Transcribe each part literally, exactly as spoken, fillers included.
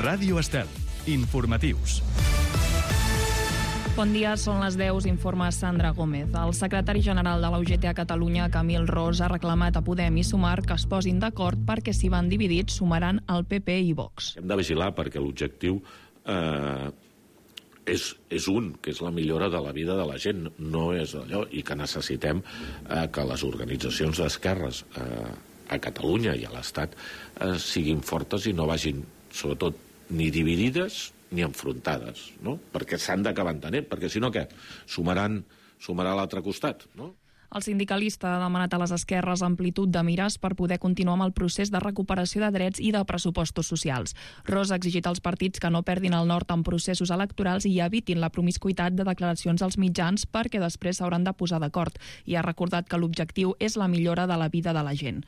Ràdio Estel. Informatius. Bon dia, són les deu, informa Sandra Gómez. El secretari general de la U G T a Catalunya, Camil Ros, ha reclamat a Podem i Sumar que es posin d'acord perquè si van dividits sumaran el P P i Vox. Hem de vigilar perquè l'objectiu eh, és, és un, que és la millora de la vida de la gent, no és allò, i que necessitem eh, que les organitzacions d'esquerres eh, a Catalunya i a l'Estat eh, siguin fortes i no vagin, sobretot, ni dividides ni enfrontades, no? Perquè s'han d'acabar entenent, perquè si no què? Sumaran, sumarà a l'altre costat, no? El sindicalista ha demanat a les esquerres amplitud de mires per poder continuar amb el procés de recuperació de drets i de pressupostos socials. Ros ha exigit als partits que no perdin el nord en processos electorals i evitin la promiscuitat de declaracions als mitjans perquè després s'hauran de posar d'acord i ha recordat que l'objectiu és la millora de la vida de la gent.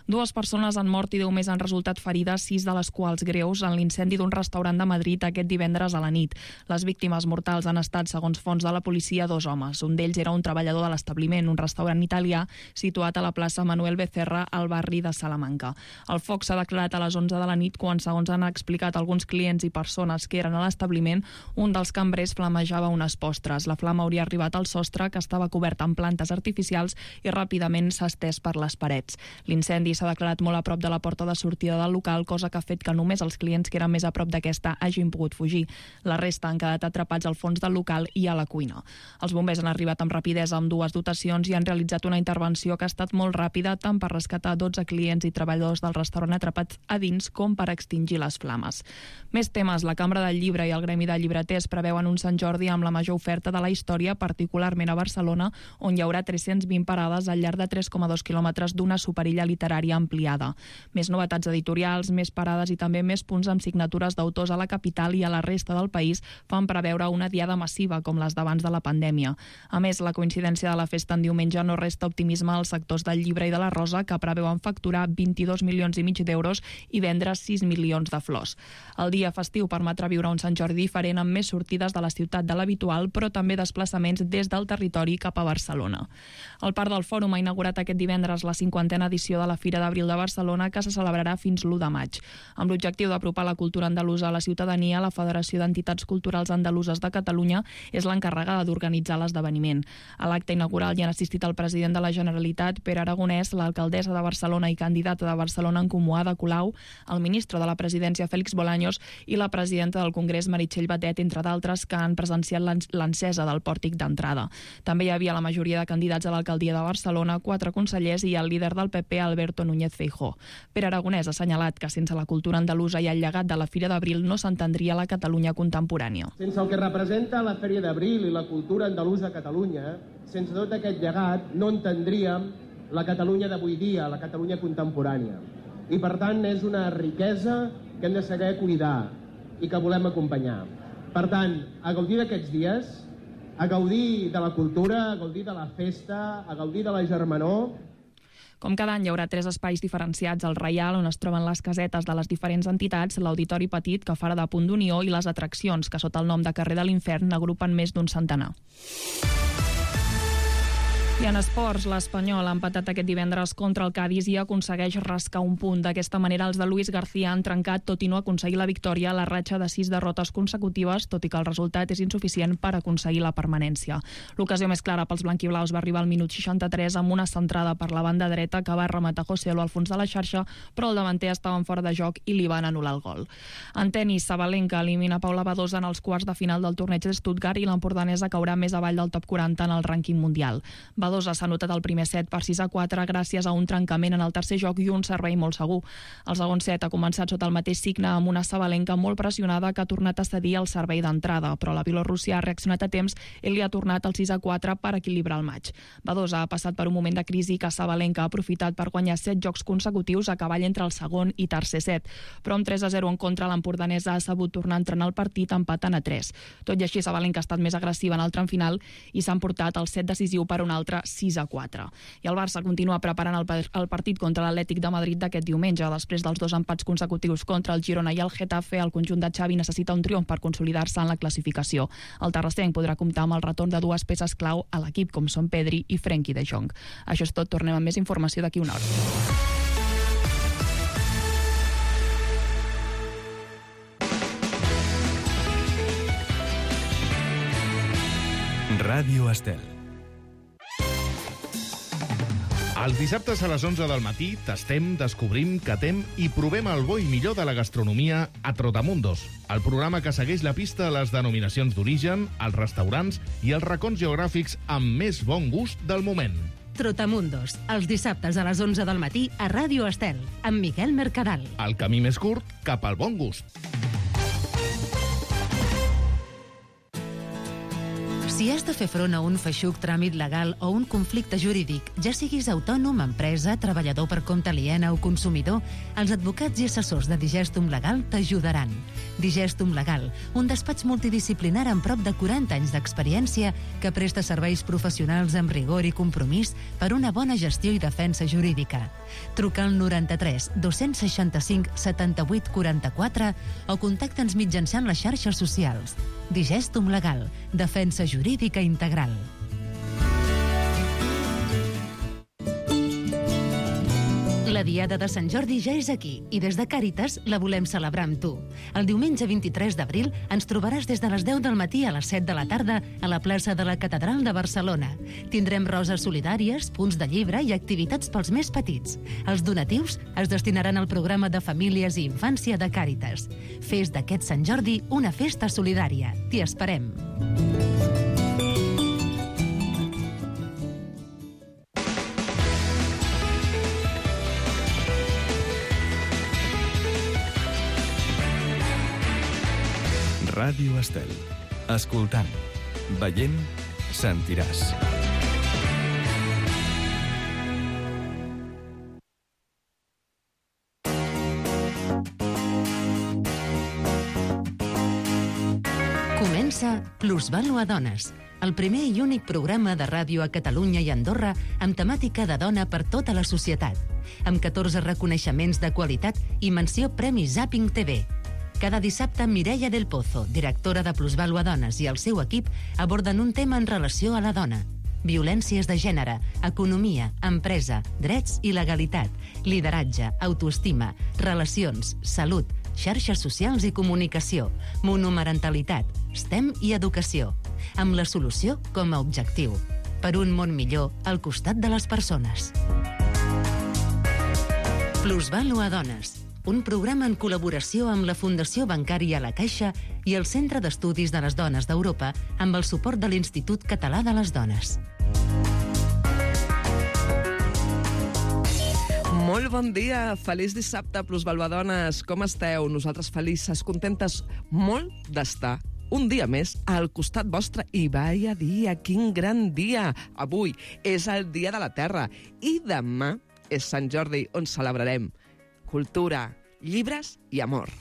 Dues persones han mort i deu més han resultat ferides, sis de les quals greus, en l'incendi d'un restaurant de Madrid aquest divendres a la nit. Les víctimes mortals han estat, segons fonts de la policia, dos homes. Un d'ells era un treballador de l'establiment, un restaurant italià situat a la plaça Manuel Becerra, al barri de Salamanca. El foc s'ha declarat a les onze de la nit quan, segons han explicat alguns clients i persones que eren a l'establiment, un dels cambrers flamejava unes postres. La flama hauria arribat al sostre, que estava cobert amb plantes artificials, i ràpidament s'ha estès per les parets. L'incendi s'ha declarat molt a prop de la porta de sortida del local, cosa que ha fet que només els clients que eren més a prop d'aquesta hagin pogut fugir. La resta han quedat atrapats al fons del local i a la cuina. Els bombers han arribat amb rapidesa amb dues dotacions i han realitzat una intervenció que ha estat molt ràpida, tant per rescatar dotze clients i treballadors del restaurant atrapats a dins com per extingir les flames. Més temes. La Cambra del Llibre i el Gremi de Llibreters preveuen un Sant Jordi amb la major oferta de la història, particularment a Barcelona, on hi haurà tres-cents vint parades al llarg de tres coma dos quilòmetres d'una superilla literària ampliada. Més novetats editorials, més parades i també més punts amb signatures d'autors a la capital i a la resta del país fan preveure una diada massiva com les d'abans de la pandèmia. A més, la coincidència de la festa en diumenge no resta optimisme als sectors del llibre i de la rosa, que preveuen facturar vint-i-dos milions i mig d'euros i vendre sis milions de flors. El dia festiu permetrà viure un Sant Jordi diferent amb més sortides de la ciutat de l'habitual, però també desplaçaments des del territori cap a Barcelona. El Parc del Fòrum ha inaugurat aquest divendres la cinquantena edició de la Fira d'Abril de Barcelona, que se celebrarà fins l'u de maig. Amb l'objectiu d'apropar la cultura andalusa a la ciutadania, la Federació d'Entitats Culturals Andaluses de Catalunya és l'encarregada d'organitzar l'esdeveniment. A l'acte inaugural hi han assistit el president de la Generalitat, Pere Aragonès, l'alcaldessa de Barcelona i candidata de Barcelona en Comú, Ada Colau, el ministre de la Presidència, Félix Bolaños, i la presidenta del Congrés, Meritxell Batet, entre d'altres, que han presenciat l'encesa del pòrtic d'entrada. També hi havia la majoria de candidats a l'alcaldia de Barcelona, quatre consellers i el líder del P P, Alberto Núñez Feijóo. Pere Aragonès ha assenyalat que sense la cultura andalusa i el llegat de la Fira d'Abril no s'entendria la Catalunya contemporània. Sense el que representa la Fèria d'Abril i la cultura andalusa a Catalunya, sense tot aquest llegat no entendríem la Catalunya d'avui dia, la Catalunya contemporània. I per tant és una riquesa que hem de saber cuidar i que volem acompanyar. Per tant, a gaudir d'aquests dies, a gaudir de la cultura, a gaudir de la festa, a gaudir de la germanor. Com cada any hi haurà tres espais diferenciats al Reial, on es troben les casetes de les diferents entitats, l'Auditori Petit, que farà de punt d'unió, i les atraccions, que sota el nom de Carrer de l'Infern agrupen més d'un centenar. I en esports, l'Espanyol ha empatat aquest divendres contra el Cádiz i aconsegueix rascar un punt. D'aquesta manera, els de Luis García han trencat, tot i no aconseguir la victòria, la ratxa de sis derrotes consecutives, tot i que el resultat és insuficient per aconseguir la permanència. L'ocasió més clara pels blanquiblaus va arribar al minut seixanta-tres amb una centrada per la banda dreta que va rematar Joselo al fons de la xarxa, però el davanter estava en fora de joc i li van anul·lar el gol. En tenis, Sabalenka elimina Paula Badosa en els quarts de final del torneig de Stuttgart i l'empordanesa caurà més avall del top quaranta en el rànquing mundial. Badosa s'ha anotat el primer set per sis a quatre gràcies a un trencament en el tercer joc i un servei molt segur. El segon set ha començat sota el mateix signe amb una Sabalenka molt pressionada que ha tornat a cedir el servei d'entrada, però la Bielorússia ha reaccionat a temps i li ha tornat el sis a quatre per equilibrar el maig. Badosa ha passat per un moment de crisi que Sabalenka ha aprofitat per guanyar set jocs consecutius a cavall entre el segon i tercer set, però amb tres a zero en contra l'empordanesa ha sabut tornar a entrenar el partit empatant a tres. Tot i així, Sabalenka ha estat més agressiva en el tram final i s'ha emportat el set decisiu per un altre sis a quatre. I el Barça continua preparant el, el partit contra l'Atlètic de Madrid d'aquest diumenge. Després dels dos empats consecutius contra el Girona i el Getafe, el conjunt de Xavi necessita un triomf per consolidar-se en la classificació. El terrassenc podrà comptar amb el retorn de dues peces clau a l'equip, com són Pedri i Frenkie de Jong. Això és tot, tornem amb més informació d'aquí una hora. Ràdio Estel. Els dissabtes a les onze del matí tastem, descobrim, catem i provem el bo i millor de la gastronomia a Trotamundos, el programa que segueix la pista a les denominacions d'origen, els restaurants i els racons geogràfics amb més bon gust del moment. Trotamundos, els dissabtes a les onze del matí a Ràdio Estel, amb Miquel Mercadal. El camí més curt cap al bon gust. Si has de fer front a un feixuc tràmit legal o un conflicte jurídic, ja siguis autònom, empresa, treballador per compte aliena o consumidor, els advocats i assessors de Digestum Legal t'ajudaran. Digestum Legal, un despatx multidisciplinar amb prop de quaranta anys d'experiència que presta serveis professionals amb rigor i compromís per una bona gestió i defensa jurídica. Truca al noranta-tres dos-cents seixanta-cinc setanta-vuit quaranta-quatre o contacta'ns mitjançant les xarxes socials. Digestum Legal, defensa jurídica integral. La Diada de Sant Jordi ja és aquí i des de Càritas la volem celebrar amb tu. El diumenge vint-i-tres d'abril ens trobaràs des de les deu del matí a les set de la tarda a la plaça de la Catedral de Barcelona. Tindrem roses solidàries, punts de llibre i activitats pels més petits. Els donatius es destinaran al programa de famílies i infància de Càritas. Fes d'aquest Sant Jordi una festa solidària. T'hi esperem. Ràdio Estel. Escoltant, veient, sentiràs. Comença Plusvàlua Dones, el primer i únic programa de ràdio a Catalunya i Andorra amb temàtica de dona per tota la societat, amb catorze reconeixements de qualitat i menció Premi Zapping T V. Cada dissabte, Mireia del Pozo, directora de Plusvàlua Dones, i el seu equip aborden un tema en relació a la dona. Violències de gènere, economia, empresa, drets i legalitat, lideratge, autoestima, relacions, salut, xarxes socials i comunicació, monomarentalitat, STEM i educació, amb la solució com a objectiu. Per un món millor al costat de les persones. Plusvàlua Dones, un programa en col·laboració amb la Fundació Bancària La Caixa i el Centre d'Estudis de les Dones d'Europa amb el suport de l'Institut Català de les Dones. Molt bon dia, feliç dissabte, Plusvàlua Dones. Com esteu? Nosaltres felices, contentes molt d'estar un dia més al costat vostre. I vaya dia, quin gran dia! Avui és el Dia de la Terra i demà és Sant Jordi, on celebrarem cultura, llibres i amor.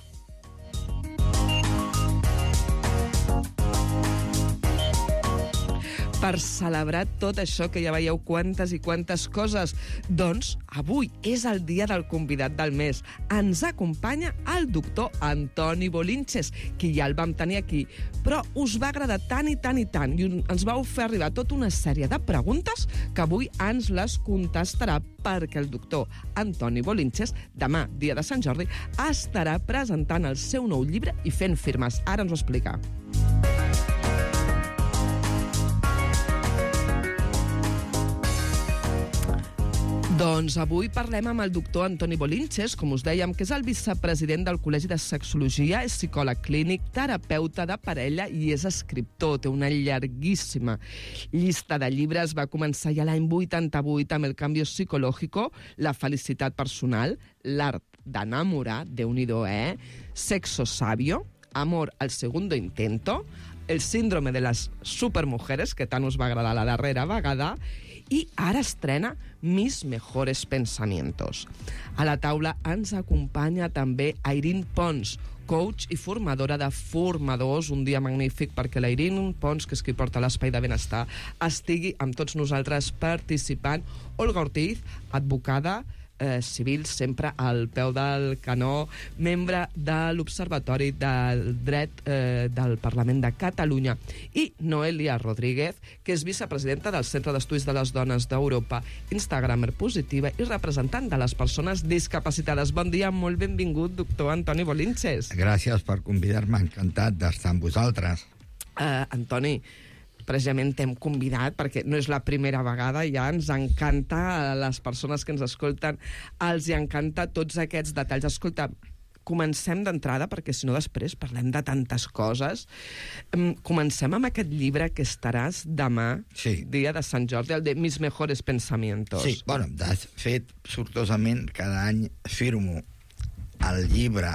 Per celebrar tot això, que ja veieu quantes i quantes coses, doncs avui és el dia del convidat del mes. Ens acompanya el doctor Antoni Bolinches, que ja el vam tenir aquí, però us va agradar tant i tant i tant, i ens vau fer arribar tota una sèrie de preguntes que avui ens les contestarà, perquè el doctor Antoni Bolinches, demà, dia de Sant Jordi, estarà presentant el seu nou llibre i fent firmes. Ara ens ho explica. Doncs avui parlem amb el doctor Antoni Bolinches, com us dèiem, que és el vicepresident del Col·legi de Sexologia, és psicòleg clínic, terapeuta de parella i és escriptor. Té una llarguíssima llista de llibres. Va començar ja l'any vuitanta-vuit amb El cambio psicológico, La felicitat personal, L'art d'enamorar, Déu-n'hi-do, eh? Sexo sabio, Amor al segundo intento, El síndrome de les supermujeres, que tant us va agradar la darrera vegada, i ara estrena Mis mejores pensamientos. A la taula ens acompanya també Airín Pons, coach i formadora de formadors. Un dia magnífic perquè l'Airín Pons, que és qui porta l'Espai de Benestar, estigui amb tots nosaltres participant. Olga Ortiz, advocada, eh, civil, sempre al peu del canó, membre de l'Observatori del Dret eh, del Parlament de Catalunya, i Noelia Rodríguez, que és vicepresidenta del Centre d'Estudis de les Dones d'Europa, instagramer positiva i representant de les persones discapacitades. Bon dia, molt benvingut, doctor Antoni Bolinches. Gràcies per convidar-me, encantat d'estar amb vosaltres. Uh, Antoni, precisament t'hem convidat, perquè no és la primera vegada, ja ens encanta a les persones que ens escolten, els hi encanta tots aquests detalls. Escolta, comencem d'entrada, perquè si no després parlem de tantes coses. Comencem amb aquest llibre que estaràs demà, sí. dia de Sant Jordi, el de Mis mejores pensamientos. Sí, bueno, de fet, sortosament, cada any firmo el llibre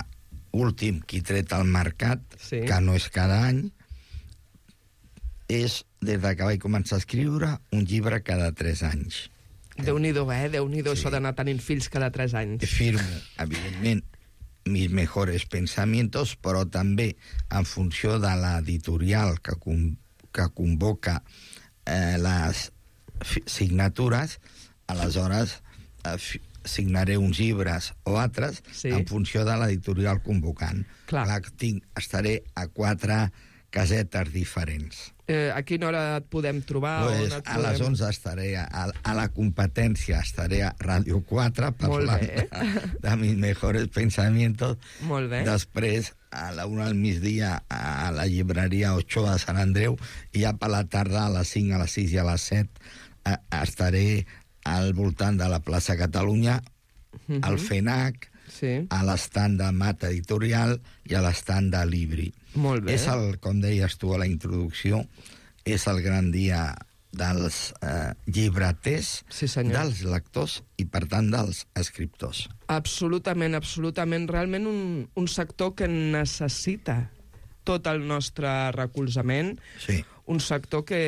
últim que he tret al mercat, sí. que no és cada any, és, des que vaig començar a escriure, un llibre cada tres anys. Déu-n'hi-do, eh? Déu-n'hi-do, sí. Això d'anar tenint fills cada tres anys. Firmo, evidentment, mis mejores pensamientos, però també en funció de l'editorial que, con, que convoca eh, les signatures, aleshores eh, signaré uns llibres o altres sí. en funció de l'editorial convocant. Clar. Clar, tinc, estaré a quatre casetes diferents. Eh, a quina hora et podem trobar? Pues, a podem... les onze estaré a, a la competència, estaré a Ràdio quatre parlant de, de mis mejores pensamientos. Molt bé. Després, a la una del migdia, a la llibreria Ochoa de Sant Andreu, i ja per la tarda, a les cinc, a les sis i a les set, a, estaré al voltant de la plaça Catalunya, uh-huh. al FENAC, sí. a l'estand de Mat Editorial i a l'estand de Libri. Molt bé. És el, com deies tu a la introducció, és el gran dia dels eh, llibreters, sí, dels lectors i, per tant, dels escriptors. Absolutament, absolutament. Realment un, un sector que necessita tot el nostre recolzament. Sí. Un sector que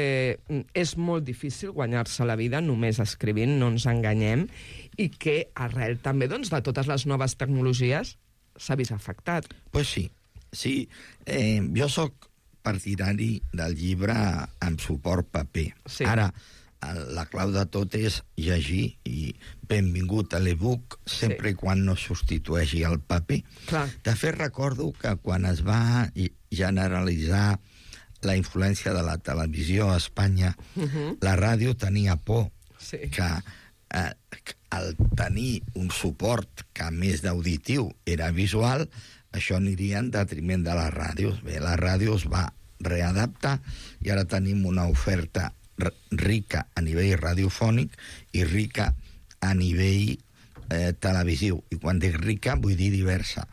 és molt difícil guanyar-se la vida només escrivint, no ens enganyem, i que arrel també doncs, de totes les noves tecnologies s'ha vist afectat. Pues sí. Sí, eh, jo sóc partidari del llibre amb suport paper. Sí. Ara, la clau de tot és llegir, i benvingut a l'e-book, sempre sí. quan no substitueixi el paper. Clar. De fet, recordo que quan es va generalitzar la influència de la televisió a Espanya, uh-huh. la ràdio tenia por sí. que eh, al tenir un suport que, a més d'auditiu, era visual, això aniria en detriment de les ràdios. Bé, la ràdio es va readaptar i ara tenim una oferta rica a nivell radiofònic i rica a nivell eh, televisiu. I quan dic rica, vull dir diversa.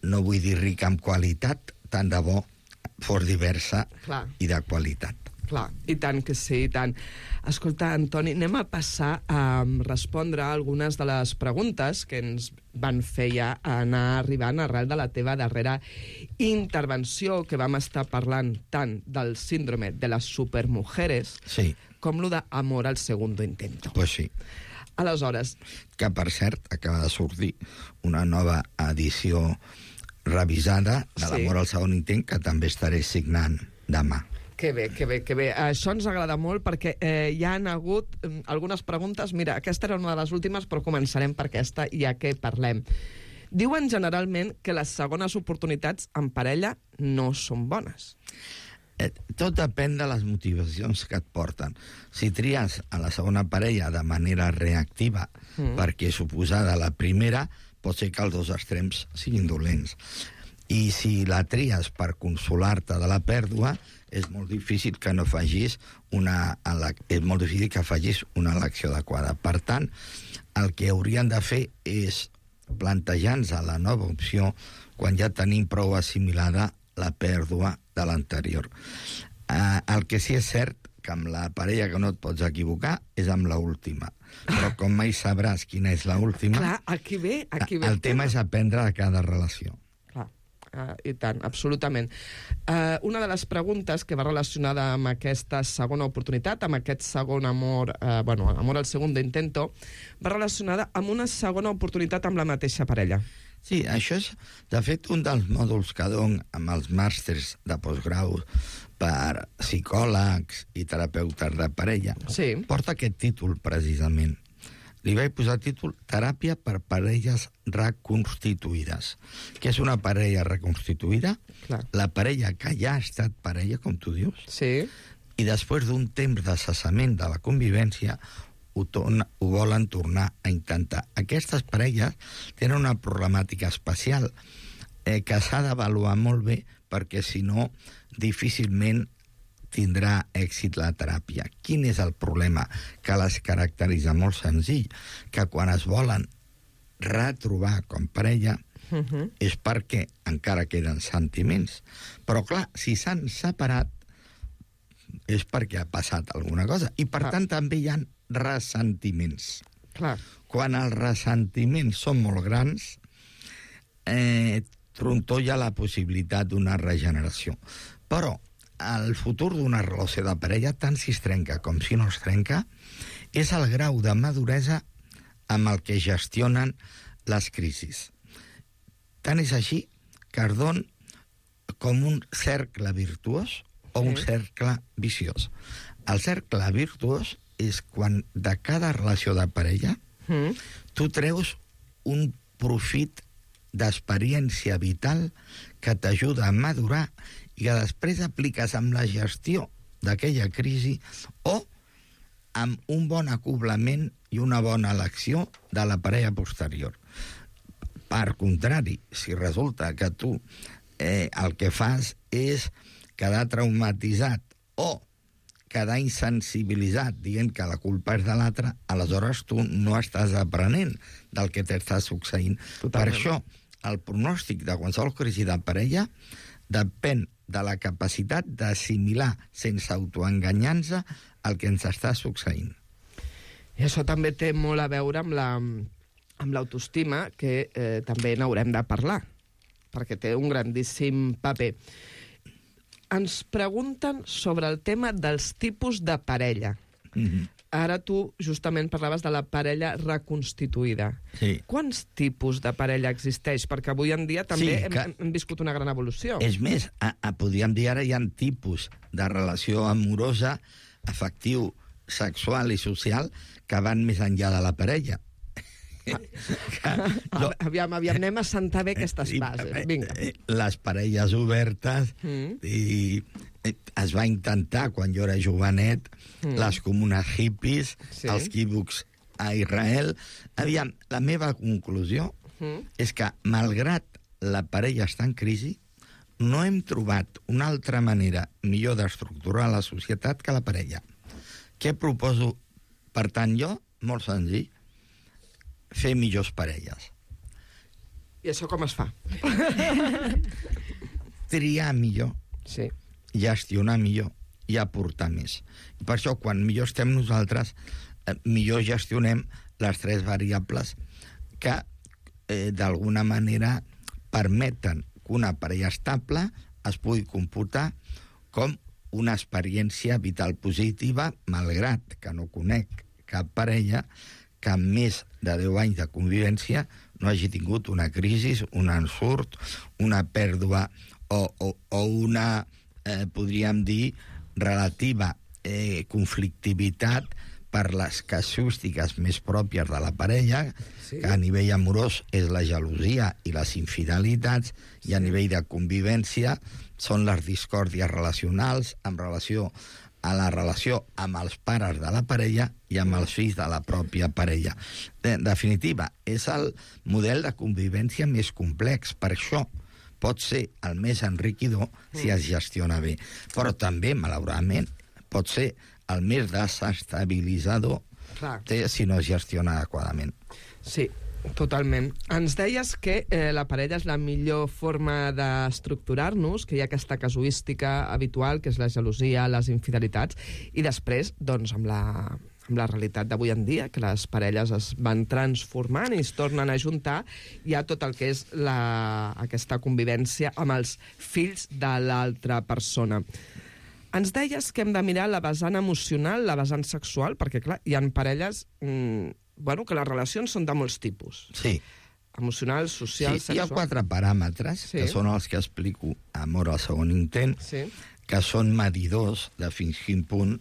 No vull dir rica en qualitat, tant de bo fos diversa Clar. I de qualitat. Clar, i tant que sí, i tant. Escolta, Antoni, anem a passar a respondre a algunes de les preguntes que ens van fer ja anar arribant arrel de la teva darrera intervenció, que vam estar parlant tant del síndrome de les supermujeres sí. com lo d'amor al segundo intento. Pues sí. Aleshores... Que, per cert, acaba de sortir una nova edició revisada de l'amor sí. al segon intent, que també estaré signant demà. Que bé, que bé, que bé. Això ens agrada molt perquè eh, hi han hagut eh, algunes preguntes. Mira, aquesta era una de les últimes, però començarem per aquesta, ja que parlem. Diuen generalment que les segones oportunitats en parella no són bones. Eh, tot depèn de les motivacions que et porten. Si tries a la segona parella de manera reactiva mm. perquè és oposada a la primera, pot ser que els dos extrems siguin dolents. I si la tries per consolar-te de la pèrdua, és molt difícil que no facis una, és molt difícil que facis una elecció adequada. Per tant, el que haurien de fer és plantejar-nos la nova opció quan ja tenim prou assimilada la pèrdua de l'anterior. Eh, el que sí és cert que amb la parella que no et pots equivocar és amb l'última. Però com mai sabràs quina és l'última... Clar, aquí ve, aquí ve. El tema és aprendre de cada relació. Uh, I tant, absolutament. Uh, una de les preguntes que va relacionada amb aquesta segona oportunitat, amb aquest segon amor, uh, bueno, amor al segundo intento, va relacionada amb una segona oportunitat amb la mateixa parella. Sí, això és, de fet, un dels mòduls que dono amb els màsters de postgrau per psicòlegs i terapeutes de parella. Sí. Porta aquest títol, precisament. Li vaig posar títol Teràpia per parelles reconstituïdes. Què és una parella reconstituïda? Clar. La parella que ja ha estat parella, com tu dius, sí. i després d'un temps de cessament de la convivència ho, torna, ho volen tornar a intentar. Aquestes parelles tenen una problemàtica especial eh, que s'ha d'avaluar molt bé, perquè si no, difícilment tindrà èxit la teràpia. Quin és el problema que les caracteritza? Molt senzill, que quan es volen retrobar com parella uh-huh. és perquè encara queden sentiments. Però, clar, si s'han separat és perquè ha passat alguna cosa. I, per clar. tant, també hi ha ressentiments. Clar. Quan els ressentiments són molt grans, eh, trontolla la possibilitat d'una regeneració. Però el futur d'una relació de parella, tant si es trenca com si no es trenca, és el grau de maduresa amb el que gestionen les crisis. Tant és així que es don com un cercle virtuós o un cercle viciós. El cercle virtuós és quan de cada relació de parella mm. tu treus un profit d'experiència vital que t'ajuda a madurar i que després apliques amb la gestió d'aquella crisi o amb un bon acoblament i una bona elecció de la parella posterior. Per contrari, si resulta que tu eh, el que fas és quedar traumatitzat o quedar insensibilitzat dient que la culpa és de l'altre, aleshores tu no estàs aprenent del que t'està succeint. Totalment. Per això, el pronòstic de qualsevol crisi de parella depèn de la capacitat d'assimilar sense autoenganyar-se el que ens està succeint. I això també té molt a veure amb la, amb l'autoestima, que eh, també n'haurem de parlar, perquè té un grandíssim paper. Ens pregunten sobre el tema dels tipus de parella. Mm-hmm. Ara tu justament parlaves de la parella reconstituïda. Sí. Quants tipus de parella existeix? Perquè avui en dia també sí, hem, hem viscut una gran evolució. És més, a, a, podríem dir ara hi ha tipus de relació amorosa, afectiu, sexual i social que van més enllà de la parella. Ah, no. Aviam, aviam, anem a sentar bé aquestes bases. Vinga. Les parelles obertes mm. i es va intentar, quan jo era jovenet, mm. les comunes hippies, sí. els quibucs a Israel. Aviam, la meva conclusió mm. és que, malgrat la parella està en crisi, no hem trobat una altra manera millor d'estructurar la societat que la parella. Què proposo, per tant, jo? Molt senzill. Fer millors parelles. I això com es fa? Triar millor, sí. gestionar millor i aportar més. I per això, quan millor estem nosaltres, eh, millor gestionem les tres variables que, eh, d'alguna manera, permeten que una parella estable es pugui computar com una experiència vital positiva, malgrat que no conec cap parella que amb més de deu anys de convivència no hagi tingut una crisi, un ensurt, una pèrdua o, o, o una, eh, podríem dir, relativa eh, conflictivitat per les casuístiques més pròpies de la parella, sí. que a nivell amorós és la gelosia i les infidelitats, sí. i a nivell de convivència són les discòrdies relacionals en relació a la relació amb els pares de la parella i amb els fills de la pròpia parella. En definitiva, és el model de convivència més complex. Per això pot ser el més enriquidor si es gestiona bé. Però també, malauradament, pot ser el més desestabilitzador si no es gestiona adequadament. Sí, totalment. Ens deies que eh, la parella és la millor forma d'estructurar-nos, que hi ha aquesta casuística habitual, que és la gelosia, les infidelitats, i després, doncs, amb la, amb la realitat d'avui en dia, que les parelles es van transformant i es tornen a juntar, hi ha tot el que és la, aquesta convivència amb els fills de l'altra persona. Ens deies que hem de mirar la vessant emocional, la vessant sexual, perquè, clar, hi ha parelles... Mmm, bueno, que les relacions són de molts tipus. Sí. Emocional, social, sí, sexual... Hi ha quatre paràmetres, sí. que són els que explico a Amor al segon intent, sí. que són medidors de fins quin punt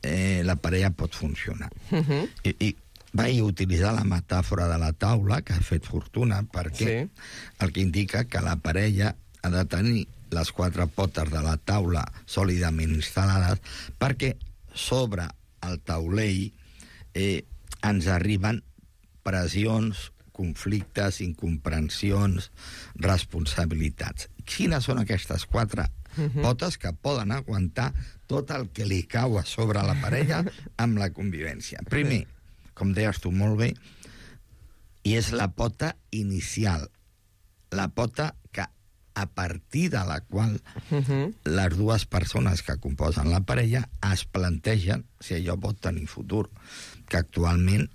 eh, la parella pot funcionar. Uh-huh. I, I vaig utilitzar la metàfora de la taula, que ha fet fortuna, perquè sí. el que indica que la parella ha de tenir les quatre potes de la taula sòlidament instal·lades, perquè sobre el taulell eh, ens arriben pressions, conflictes, incomprensions, responsabilitats. Quines són aquestes quatre Uh-huh. Potes que poden aguantar tot el que li cau a sobre la parella amb la convivència. Primer, com deies tu molt bé, i és la pota inicial, la pota que a partir de la qual uh-huh. les dues persones que composen la parella es plantegen si allò pot tenir futur, que actualment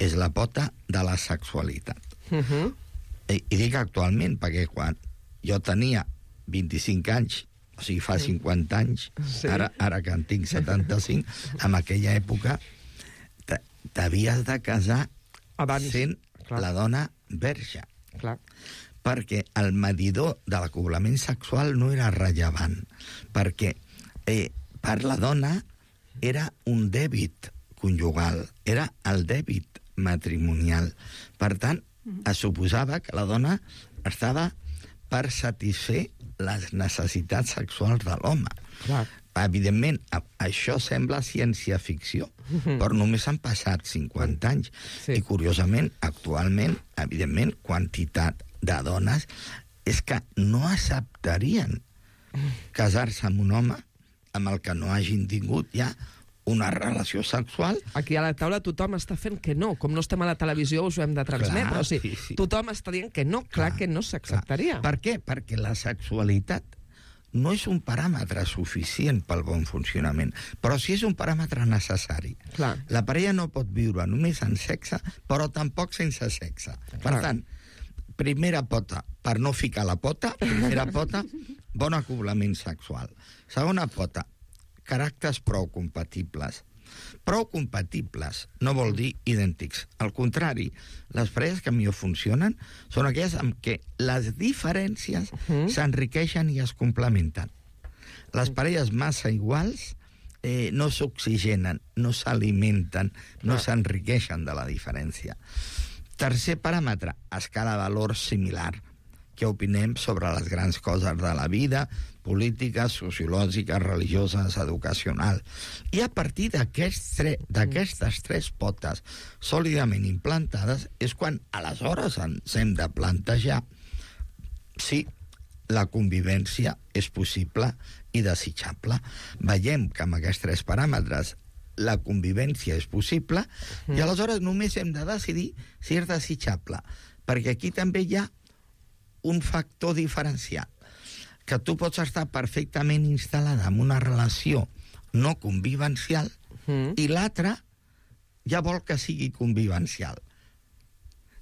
és la pota de la sexualitat. Uh-huh. I, I dic actualment perquè quan jo tenia vint-i-cinc anys, o sigui, fa cinquanta anys, sí. ara, ara que en tinc setanta-cinc, en aquella època t'havies de casar abans sent Clar. La dona verge. Clar. Perquè el medidor de l'acoblament sexual no era rellevant, perquè eh, per la dona era un dèbit conjugal, era el dèbit matrimonial. Per tant, es suposava que la dona estava per satisfer les necessitats sexuals de l'home. Clar. Evidentment, això sembla ciència-ficció, mm-hmm. però només han passat cinquanta anys. Sí. I, curiosament, actualment, evidentment, quantitat de dones és que no acceptarien casar-se amb un home amb el que no hagin tingut ja una relació sexual. Aquí a la taula tothom està fent que no. Com no estem a la televisió us ho hem de transmetre. Clar, o sigui, sí, sí. Tothom està dient que no, clar, clar que no s'acceptaria. Per què? Perquè la sexualitat no és un paràmetre suficient pel bon funcionament, però sí és un paràmetre necessari. Clar. La parella no pot viure només en sexe, però tampoc sense sexe. Clar. Per tant, primera pota, per no ficar la pota, primera pota, bon acoblament sexual. Segona pota, caràcters prou compatibles. Prou compatibles no vol dir idèntics. Al contrari, les parelles que millor funcionen són aquelles amb què les diferències uh-huh. s'enriqueixen i es complementen. Les parelles massa iguals eh, no s'oxigenen, no s'alimenten, no ah. s'enriqueixen de la diferència. Tercer paràmetre, escala de valors similar. Què opinem sobre les grans coses de la vida, polítiques, sociològiques, religioses, educacional. I a partir d'aquestes tres, tres potes sòlidament implantades és quan aleshores ens hem de plantejar si la convivència és possible i desitjable. Veiem que amb aquests tres paràmetres la convivència és possible i aleshores només hem de decidir si és desitjable, perquè aquí també hi ha un factor diferencial, que tu pots estar perfectament instal·lada en una relació no convivencial mm. i l'altra ja vol que sigui convivencial.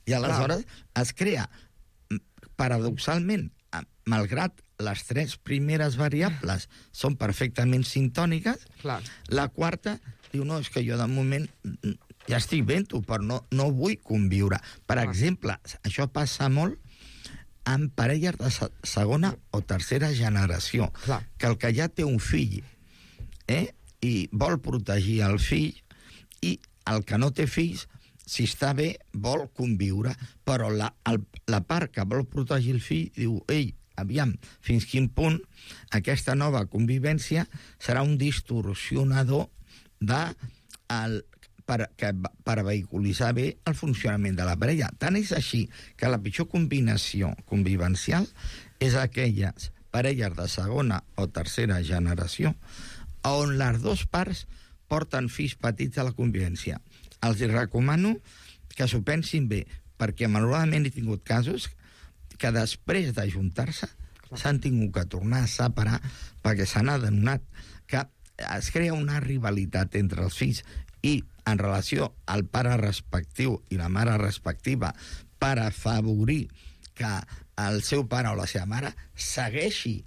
I aleshores Clar. es crea, paradoxalment, malgrat les tres primeres variables són perfectament sintòniques, Clar. la quarta diu, no, és que jo de moment ja estic ben-ho, però no, no vull conviure. Per Clar. exemple, això passa molt amb parelles de segona o tercera generació, Clar. que el que ja té un fill eh, i vol protegir el fill, i el que no té fills, si està bé, vol conviure, però la, el, la part que vol protegir el fill diu, ei, aviam, fins quin punt aquesta nova convivència serà un distorsionador de el, per, que, per vehiculitzar bé el funcionament de la parella. Tant és així que la pitjor combinació convivencial és aquelles parelles de segona o tercera generació on les dues parts porten fills petits a la convivència. Els recomano que s'ho pensin bé, perquè malauradament he tingut casos que després d'ajuntar-se s'han tingut que tornar a separar perquè s'han adonat que es crea una rivalitat entre els fills i en relació al pare respectiu i la mare respectiva per afavorir que el seu pare o la seva mare segueixi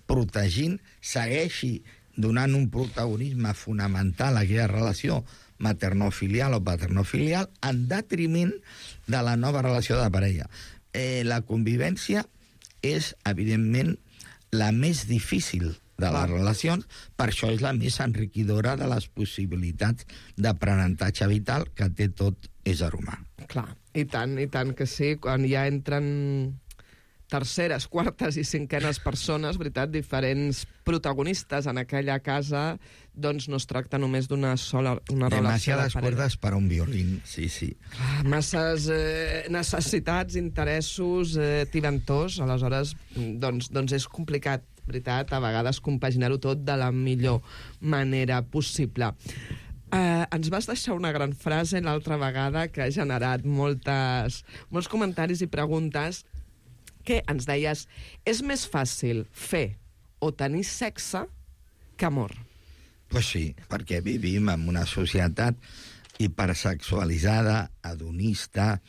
protegint, segueixi donant un protagonisme fonamental a aquella relació maternofilial o paternofilial en detriment de la nova relació de parella. Eh, la convivència és, evidentment, la més difícil de les relacions, per això és la més enriquidora de les possibilitats d'aprenentatge vital que té tot ésser humà. Clar, i tant, i tant que sí, quan ja entren terceres, quartes i cinquenes persones, veritat, diferents protagonistes en aquella casa, doncs no es tracta només d'una sola una relació de parella. Demasiades cuerdas para un violín, sí, sí. Clar, masses eh, necessitats, interessos, eh, tiventors, aleshores doncs, doncs és complicat. veritat, a vegades compaginar-ho tot de la millor manera possible. Uh, ens vas deixar una gran frase l'altra vegada que ha generat moltes, molts comentaris i preguntes, que ens deies, és més fàcil fer o tenir sexe que amor. Pues sí, perquè vivim en una societat hipersexualitzada, hedonista,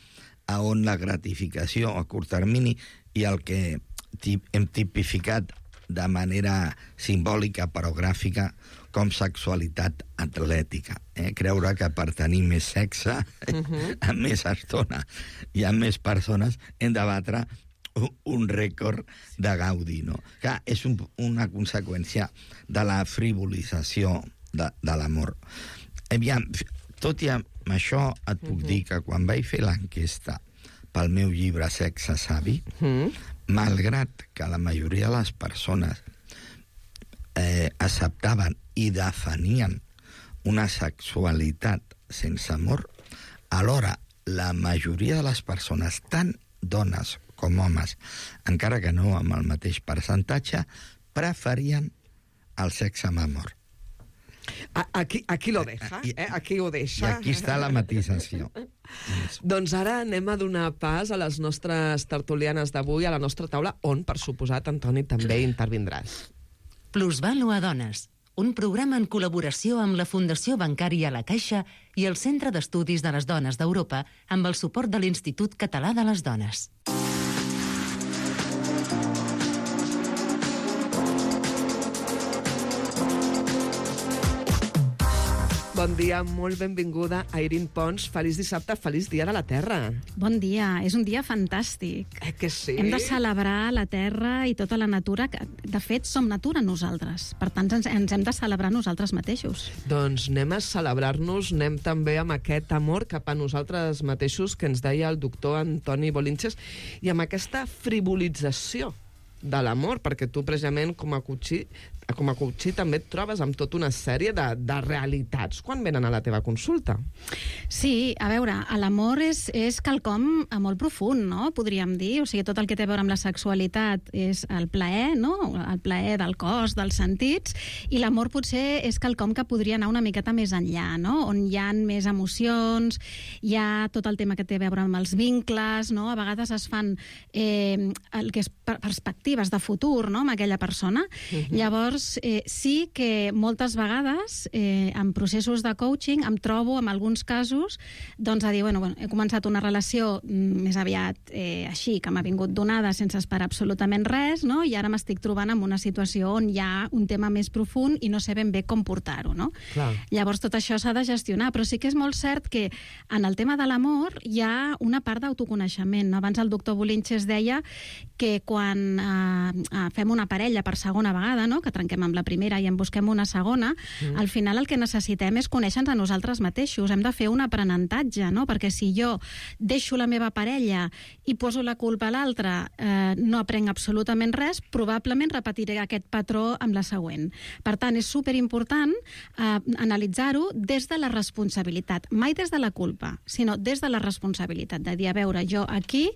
on la gratificació a curt termini i el que hem tipificat de manera simbòlica però gràfica com sexualitat atlètica. Eh? Creure que per tenir més sexe, uh-huh. amb més estona i amb més persones, hem de batre un rècord de gaudi, no? Que és un, una conseqüència de la frivolització de, de l'amor. Aviam, tot i amb això et puc uh-huh. dir que quan vaig fer l'enquesta pel meu llibre Sexe Savi, uh-huh. malgrat que la majoria de les persones eh, acceptaven i definien una sexualitat sense amor, alhora la majoria de les persones, tant dones com homes, encara que no amb el mateix percentatge, preferien el sexe amb amor. Aquí, aquí lo deja, eh? Aquí ho deixa. I aquí està la matisació. Doncs ara anem a donar pas a les nostres tertulianes d'avui, a la nostra taula, on, per suposat, Antoni, també intervindràs. Plusvàlua Dones, un programa en col·laboració amb la Fundació Bancària La Caixa i el Centre d'Estudis de les Dones d'Europa amb el suport de l'Institut Català de les Dones. Bon dia, molt benvinguda a Irene Pons. Feliç dissabte, feliç dia de la Terra. Bon dia, és un dia fantàstic. Eh que sí? Hem de celebrar la Terra i tota la natura, que de fet som natura nosaltres. Per tant, ens, ens hem de celebrar nosaltres mateixos. Doncs anem a celebrar-nos, anem també amb aquest amor cap a nosaltres mateixos que ens deia el doctor Antoni Bolinches i amb aquesta frivolització de l'amor, perquè tu precisament com a coachí, com a coachí també et trobes amb tota una sèrie de, de realitats quan venen a la teva consulta. Sí, a veure, l'amor és, és quelcom molt profund, no? Podríem dir, o sigui, tot el que té a veure amb la sexualitat és el plaer, no? El plaer del cos, dels sentits, i l'amor potser és quelcom que podria anar una miqueta més enllà, no? On hi ha més emocions, hi ha tot el tema que té a veure amb els vincles, no? A vegades es fan eh, el que és perspectives de futur, no?, amb aquella persona. Uh-huh. Llavors, eh, sí que moltes vegades eh, en processos de coaching em trobo, en alguns casos, doncs a dir, bueno, bueno he començat una relació més aviat eh, així, que m'ha vingut donada sense esperar absolutament res, no?, i ara m'estic trobant en una situació on hi ha un tema més profund i no sé ben bé com portar-ho, no? Clar. Llavors, tot això s'ha de gestionar, però sí que és molt cert que en el tema de l'amor hi ha una part d'autoconeixement, no? Abans el doctor Bolinches deia que quan eh, fem una parella per segona vegada, no?, que trenquem amb la primera i en busquem una segona, mm. al final el que necessitem és conèixer-nos a nosaltres mateixos. Hem de fer un aprenentatge, no?, perquè si jo deixo la meva parella i poso la culpa a l'altre, eh, no aprenc absolutament res, probablement repetiré aquest patró amb la següent. Per tant, és superimportant eh, analitzar-ho des de la responsabilitat, mai des de la culpa, sinó des de la responsabilitat, de dir, a veure, jo aquí,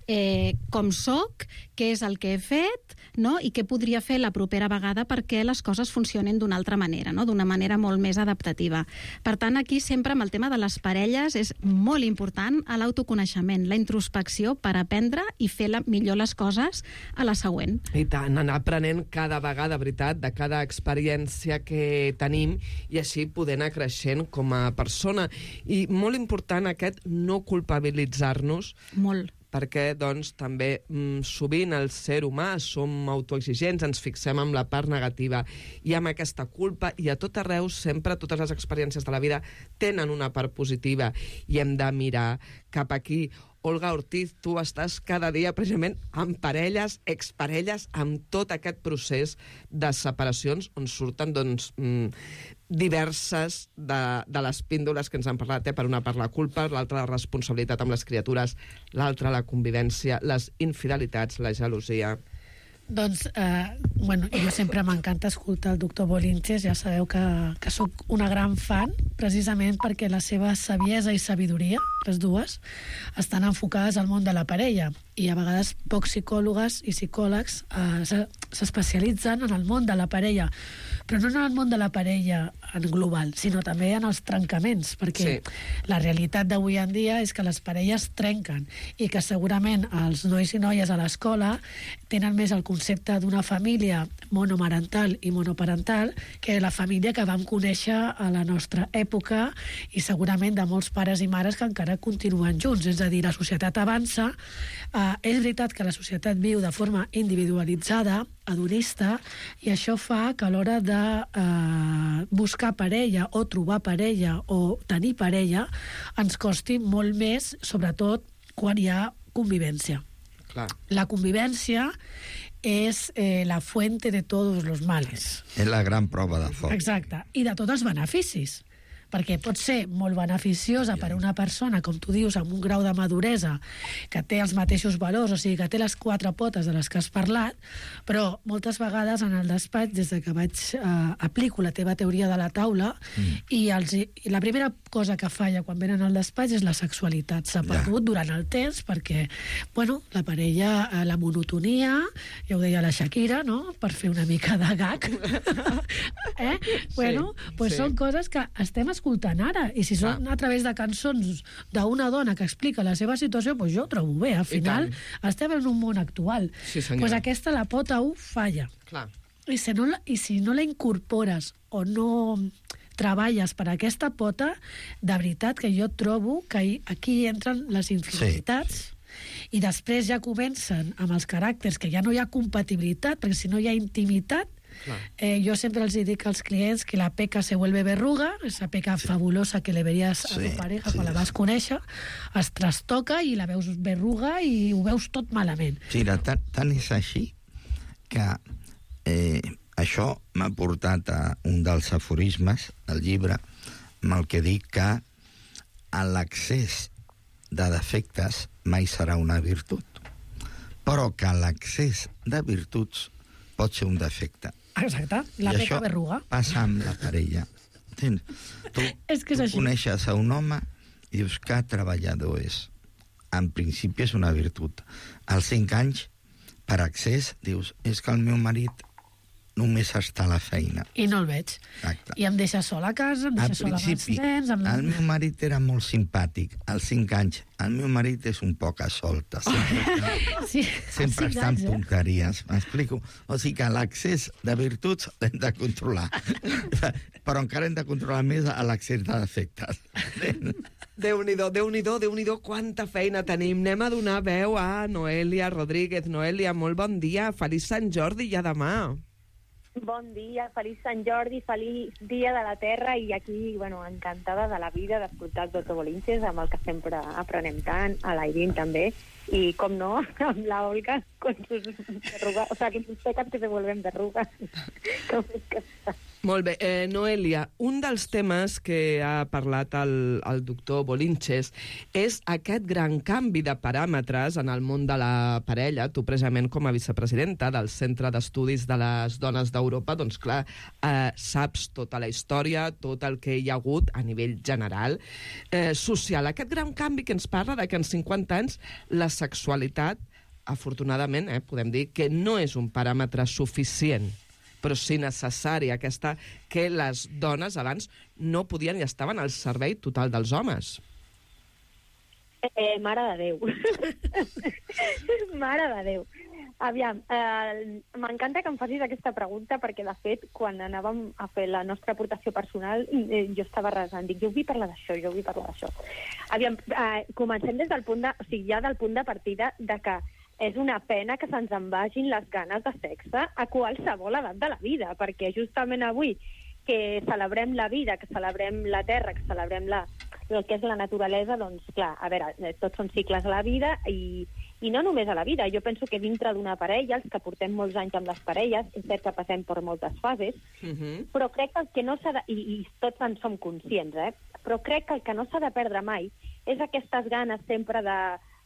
eh, com soc, què és el que he fet, no?, i què podria fer la propera vegada perquè les coses funcionin d'una altra manera, no?, d'una manera molt més adaptativa. Per tant, aquí sempre amb el tema de les parelles és molt important l'autoconeixement, la introspecció per aprendre i fer la, millor les coses a la següent. I tant, anar aprenent cada vegada, veritat, de cada experiència que tenim i així poder anar creixent com a persona. I molt important aquest no culpabilitzar-nos. Molt. Perquè, doncs, també mm, sovint el ser humà som autoexigents, ens fixem en la part negativa i amb aquesta culpa, i a tot arreu sempre totes les experiències de la vida tenen una part positiva i hem de mirar cap aquí. Olga Ortiz, tu estàs cada dia precisament amb parelles, exparelles, amb tot aquest procés de separacions on surten, doncs, mm, diverses de, de les píndoles que ens han parlat, eh? Per una part la culpa, l'altra la responsabilitat amb les criatures, l'altra la convivència, les infidelitats, la gelosia. Doncs, eh, bueno, jo sempre m'encanta escoltar el doctor Bolinches, ja sabeu que, que sóc una gran fan, precisament perquè la seva saviesa i sabidoria, les dues, estan enfocades al món de la parella, i a vegades pocs psicòlogs i psicòlegs eh, s'especialitzen en el món de la parella, però no en el món de la parella en global, sinó també en els trencaments, perquè sí. La realitat d'avui en dia és que les parelles trenquen i que segurament els nois i noies a l'escola tenen més el concepte d'una família monomarental i monoparental que la família que vam conèixer a la nostra època i segurament de molts pares i mares que encara continuen junts. És a dir, la societat avança, eh, és veritat que la societat viu de forma individualitzada, hedonista, i això fa que a l'hora de eh, buscar parella o trobar parella o tenir parella ens costi molt més, sobretot quan hi ha convivència. Clar. La convivència és eh, la fuente de tots els males. És la gran prova de foc. Exacte. I de tots els beneficis. Perquè pot ser molt beneficiosa per a una persona, com tu dius, amb un grau de maduresa, que té els mateixos valors, o sigui, que té les quatre potes de les que has parlat, però moltes vegades en el despatx, des de que vaig eh, aplico la teva teoria de la taula, mm. i, els, i la primera cosa que falla quan venen al despatx és la sexualitat. S'ha perdut ja. durant el temps perquè, bueno, la parella, eh, la monotonia, ja ho deia la Shakira, no?, per fer una mica de gag. eh? Bueno, sí, pues sí. Són coses que estem escoltant ara, i si són a través de cançons d'una dona que explica la seva situació, doncs jo ho trobo bé. Al final estem en un món actual. Sí, pues aquesta, la pota u, falla. Clar. I si, no la, I si no la incorpores o no treballes per aquesta pota, de veritat que jo trobo que aquí entren les infidelitats, sí. I després ja comencen amb els caràcters, que ja no hi ha compatibilitat, perquè si no hi ha intimitat, Eh, yo siempre les digo a los clientes que la peca se vuelve verruga, esa peca sí. fabulosa que le veries a sí, tu pareja sí. quan la vas conèixer, es trastoca i la veus verruga i ho veus tot malament. Sí, tant, tant és així que eh, això m'ha portat a un dels aforismes del llibre amb el que dic que l'accés de defectes mai serà una virtut, però que l'accés de virtuts pot ser un defecte. Exacte, la I peca verruga. Passa amb la parella. Tens? Tu, és que és tu coneixes a un home i dius que treballador és. En principi és una virtut. Als cinc anys, per accés, dius, és que el meu marit només està a la feina. I no el veig. Exacte. I em deixa sol a casa, em deixa sol amb els nens... Amb... el meu marit era molt simpàtic. Als cinc anys, el meu marit és un poc a solta. Sempre, sí, sempre està en punteries. M'explico? O sigui que l'accés de virtuts l'hem de controlar. Però encara hem de controlar més l'accés de defectes. Déu-n'hi-do, Déu-n'hi-do, Déu-n'hi-do, quanta feina tenim. Anem a donar veu a Noelia Rodríguez. Noelia, molt bon dia. Feliç Sant Jordi i a demà. Bon dia, feliç Sant Jordi, feliç dia de la Terra, i aquí, bueno, encantada de la vida d'escoltar el doctor Bolinches, amb el que sempre aprenem tant, a l'Airín també, i, com no, amb la Olga, con sus verrugas, o sea, que sus pecas que se vuelven verrugas. Com és que està? Molt bé. Eh, Noelia, un dels temes que ha parlat el, el doctor Bolinches és aquest gran canvi de paràmetres en el món de la parella. Tu, precisament, com a vicepresidenta del Centre d'Estudis de les Dones d'Europa, doncs, clar, eh, saps tota la història, tot el que hi ha hagut a nivell general, eh, social. Aquest gran canvi que ens parla de que en cinquanta anys la sexualitat, afortunadament, eh, podem dir que no és un paràmetre suficient, però sí necessari, aquesta que les dones abans no podien i estaven al servei total dels homes. Eh, mare de Déu. Mare de Déu. Aviam, eh, m'encanta que em facis aquesta pregunta perquè, de fet, quan anàvem a fer la nostra aportació personal, eh, jo estava resant, dic, jo vull parlar d'això, jo vull parlar d'això. Aviam, eh, comencem des del punt de, o sigui, ja del punt de partida de que és una pena que se'ns en vagin les ganes de sexe a qualsevol edat de la vida, perquè justament avui que celebrem la vida, que celebrem la terra, que celebrem la, el que és la naturalesa, doncs, clar, a veure, tots són cicles a la vida i, i no només a la vida. Jo penso que dintre d'una parella, els que portem molts anys amb les parelles, és cert que passem per moltes fases, uh-huh. però crec que el que no s'ha de... I, i tots en som conscients, eh? Però crec que el que no s'ha de perdre mai és aquestes ganes sempre de,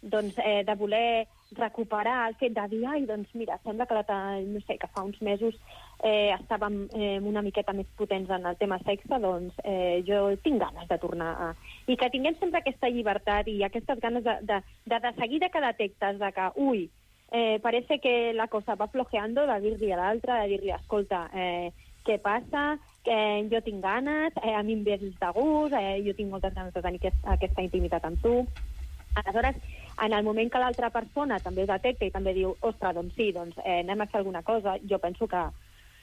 doncs, eh, de voler recuperar el fet de dir, ai, doncs mira, sembla que, la, no sé, que fa uns mesos eh, estàvem eh, una miqueta més potents en el tema sexe, doncs eh, jo tinc ganes de tornar a... I que tinguem sempre aquesta llibertat i aquestes ganes de, de, de, de seguida que detectes de que, ui, eh, parece que la cosa va flojeando, de dir-li a l'altre, de dir-li, escolta, eh, què passa? Eh, jo tinc ganes, eh, a mi em ves de gust, eh, jo tinc moltes ganes de tenir aquest, aquesta intimitat amb tu. Aleshores, en el moment que l'altra persona també ho detecta i també diu, ostres, doncs sí, doncs eh, anem a fer alguna cosa, jo penso que,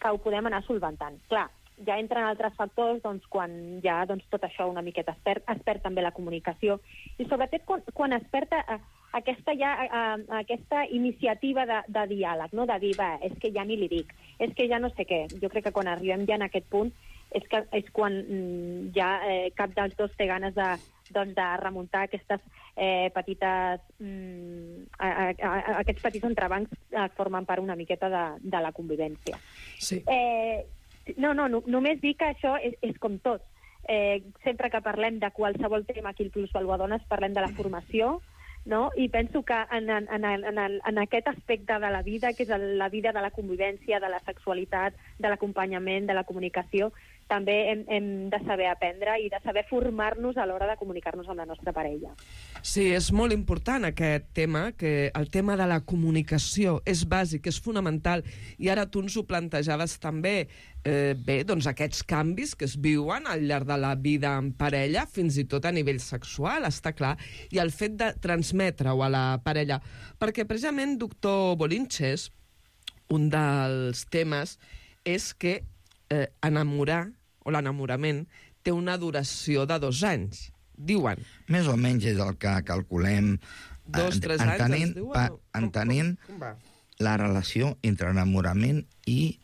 que ho podem anar solventant. Clar, ja entren altres factors doncs, quan ja doncs, tot això una miqueta es perd, es perd també la comunicació i sobretot quan, quan es perd eh, aquesta, ja, eh, aquesta iniciativa de, de diàleg, no? De dir, va, és que ja ni li dic, és que ja no sé què. Jo crec que quan arribem ja en aquest punt és, que, és quan mm, ja eh, cap dels dos té ganes de, doncs, de remuntar aquestes eh, petites... Mm, a, a, a, aquests petits entrebancs eh, formen part una miqueta de, de la convivència. Sí. Eh, no, no, no, només dir que això és, és com tot. Eh, sempre que parlem de qualsevol tema aquí al Plusvalua Dones parlem de la formació, no? I penso que en, en, en, en, en aquest aspecte de la vida, que és la vida de la convivència, de la sexualitat, de l'acompanyament, de la comunicació, també hem, hem de saber aprendre i de saber formar-nos a l'hora de comunicar-nos amb la nostra parella. Sí, és molt important aquest tema, que el tema de la comunicació és bàsic, és fonamental, i ara tu ens ho plantejaves també. Eh, bé, doncs aquests canvis que es viuen al llarg de la vida en parella, fins i tot a nivell sexual, està clar, i el fet de transmetre-ho a la parella. Perquè precisament, doctor Bolinches, un dels temes és que eh, enamorar, o l'enamorament, té una duració de dos anys, diuen. Més o menys és el que calculem. Dos, tres anys, entenent, ens diuen? pa, Com, entenent com, com va? La relació entre enamorament i,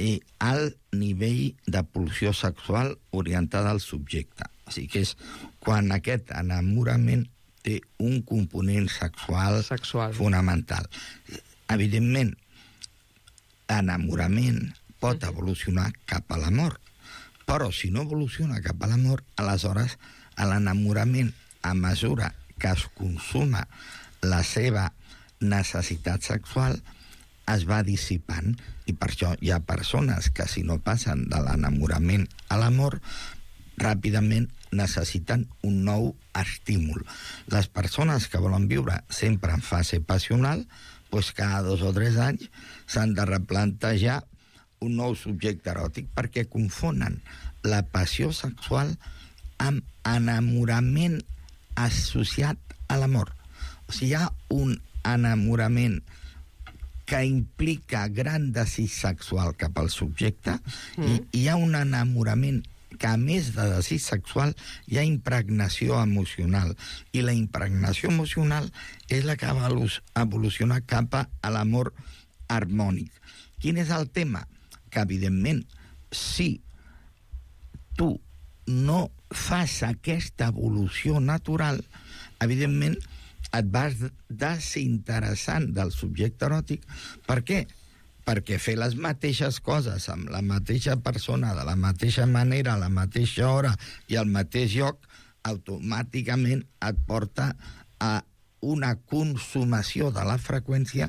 i alt nivell de pulsió sexual orientada al subjecte. O sigui que és quan aquest enamorament té un component sexual, sexual. fonamental. Evidentment, l'enamorament pot evolucionar cap a l'amor, però si no evoluciona cap a l'amor, aleshores l'enamorament, a mesura que es consuma la seva necessitat sexual, es va dissipant, i per això hi ha persones que si no passen de l'enamorament a l'amor, ràpidament necessiten un nou estímul. Les persones que volen viure sempre en fase passional, doncs cada dos o tres anys s'han de replantejar un nou subjecte eròtic perquè confonen la passió sexual amb enamorament associat a l'amor. O sigui, hi ha un enamorament que implica gran desig sexual cap al subjecte mm. i hi ha un enamorament que a més de desig sexual hi ha impregnació emocional, i la impregnació emocional és la que va evolucionar cap a l'amor harmònic. Quin és el tema? Que evidentment, si tu no fas aquesta evolució natural, evidentment et vas desinteressant del subjecte eròtic. Per què? Perquè fer les mateixes coses amb la mateixa persona, de la mateixa manera, a la mateixa hora i al mateix lloc, automàticament et porta a una consumació de la freqüència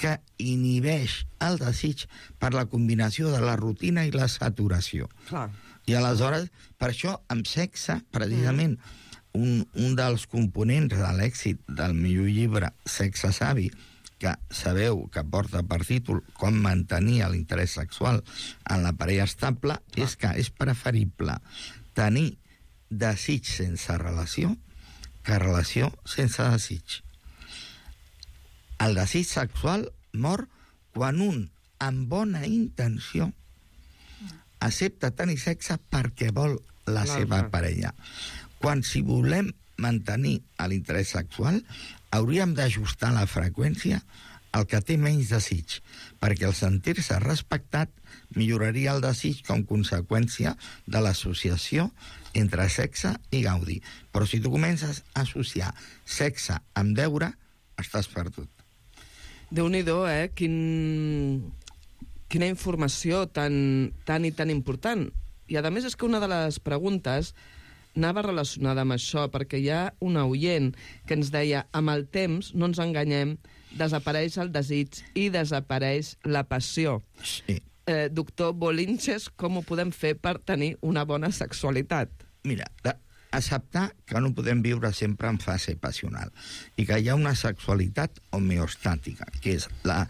que inhibeix el desig per la combinació de la rutina i la saturació. Clar. I aleshores, per això, amb sexe, precisament, mm. un, un dels components de l'èxit del millor llibre, Sexe Savi, que sabeu que porta per títol Com mantenir l'interès sexual en la parella estable, ah. és que és preferible tenir desig sense relació que relació sense desig. El desig sexual mor quan un, amb bona intenció, accepta tenir sexe perquè vol la seva parella. Quan, si volem mantenir l'interès sexual, hauríem d'ajustar la freqüència al que té menys desig, perquè el sentir-se respectat milloraria el desig com conseqüència de l'associació entre sexe i gaudi. Però si tu comences a associar sexe amb deure, estàs perdut. Déu-n'hi-do, eh? Quin... Quina informació tan, tan i tan important. I, a més, és que una de les preguntes anava relacionada amb això, perquè hi ha una oient que ens deia amb el temps, no ens enganyem, desapareix el desig i desapareix la passió. Sí. Eh, doctor Bolinches, com ho podem fer per tenir una bona sexualitat? Mira, acceptar que no podem viure sempre en fase passional i que hi ha una sexualitat homeostàtica, que és la,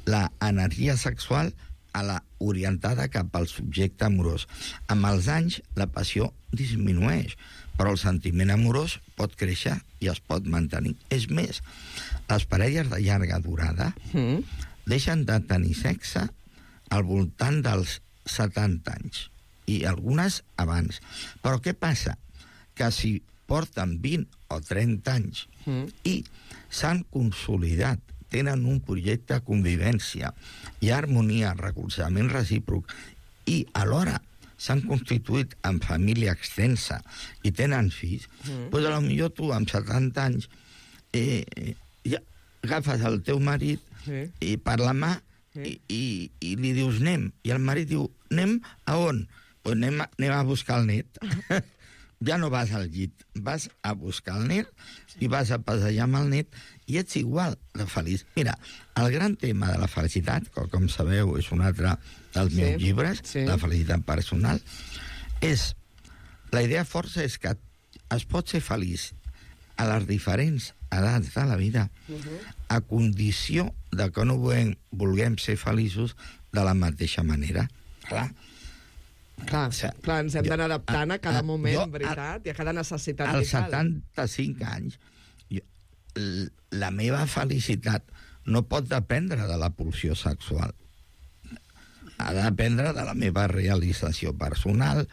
la energia sexual a la orientada cap al subjecte amorós. Amb els anys, la passió disminueix, però el sentiment amorós pot créixer i es pot mantenir. És més, les parelles de llarga durada mm. deixen de tenir sexe al voltant dels setanta anys, i algunes abans. Però què passa? Que si porten vint o trenta anys mm. i s'han consolidat, tenen un projecte de convivència, hi ha harmonia, recolzament recíproc, i alhora s'han constituït en família extensa i tenen fills, mm. doncs potser tu amb setanta anys eh, ja agafes el teu marit sí. i per la mà sí. i, i, i li dius anem, i el marit diu anem a on? Pues anem, a, anem a buscar el net. Ja no vas al llit, vas a buscar el net i vas a passejar amb el net i ets igual de feliç. Mira, el gran tema de la felicitat, que com sabeu és un altre dels meus sí, llibres, sí. La felicitat personal, és... La idea força és que es pot ser feliç a les diferents edats de la vida, uh-huh. a condició de que no vulguem, vulguem ser feliços de la mateixa manera. Clar, Clar, o sigui, clar, ens hem d'anar adaptant a cada a, moment, jo, veritat, i a cada necessitat vital. Als setanta-cinc anys, jo, la meva felicitat no pot dependre de la pulsió sexual. Ha de dependre de la meva realització personal,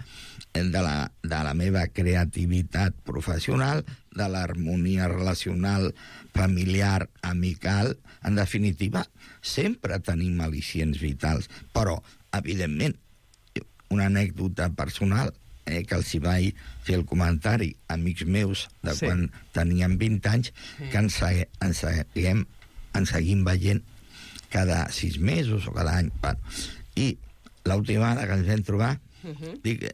de la, de la meva creativitat professional, de l'harmonia relacional, familiar, amical. En definitiva, sempre tenim al·licients vitals, però, evidentment, una anècdota personal, eh, que els hi vaig fer el comentari a amics meus de sí. quan teníem vint anys, sí. que ens, ens, seguim, ens seguim veient cada sis mesos o cada any. I l'última vegada que ens vam trobar, uh-huh. dic,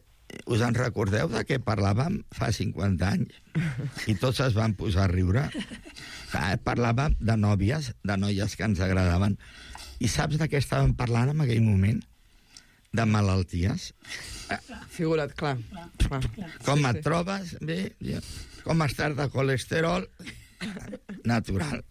us en recordeu de què parlàvem fa cinquanta anys? I tots es van posar a riure. Parlàvem de nòvies, de noies que ens agradaven. I saps de què estàvem parlant en aquell moment? De malalties. Figura't, clar. clar. Com sí, et sí. trobes? Bé, com estàs de colesterol? Natural.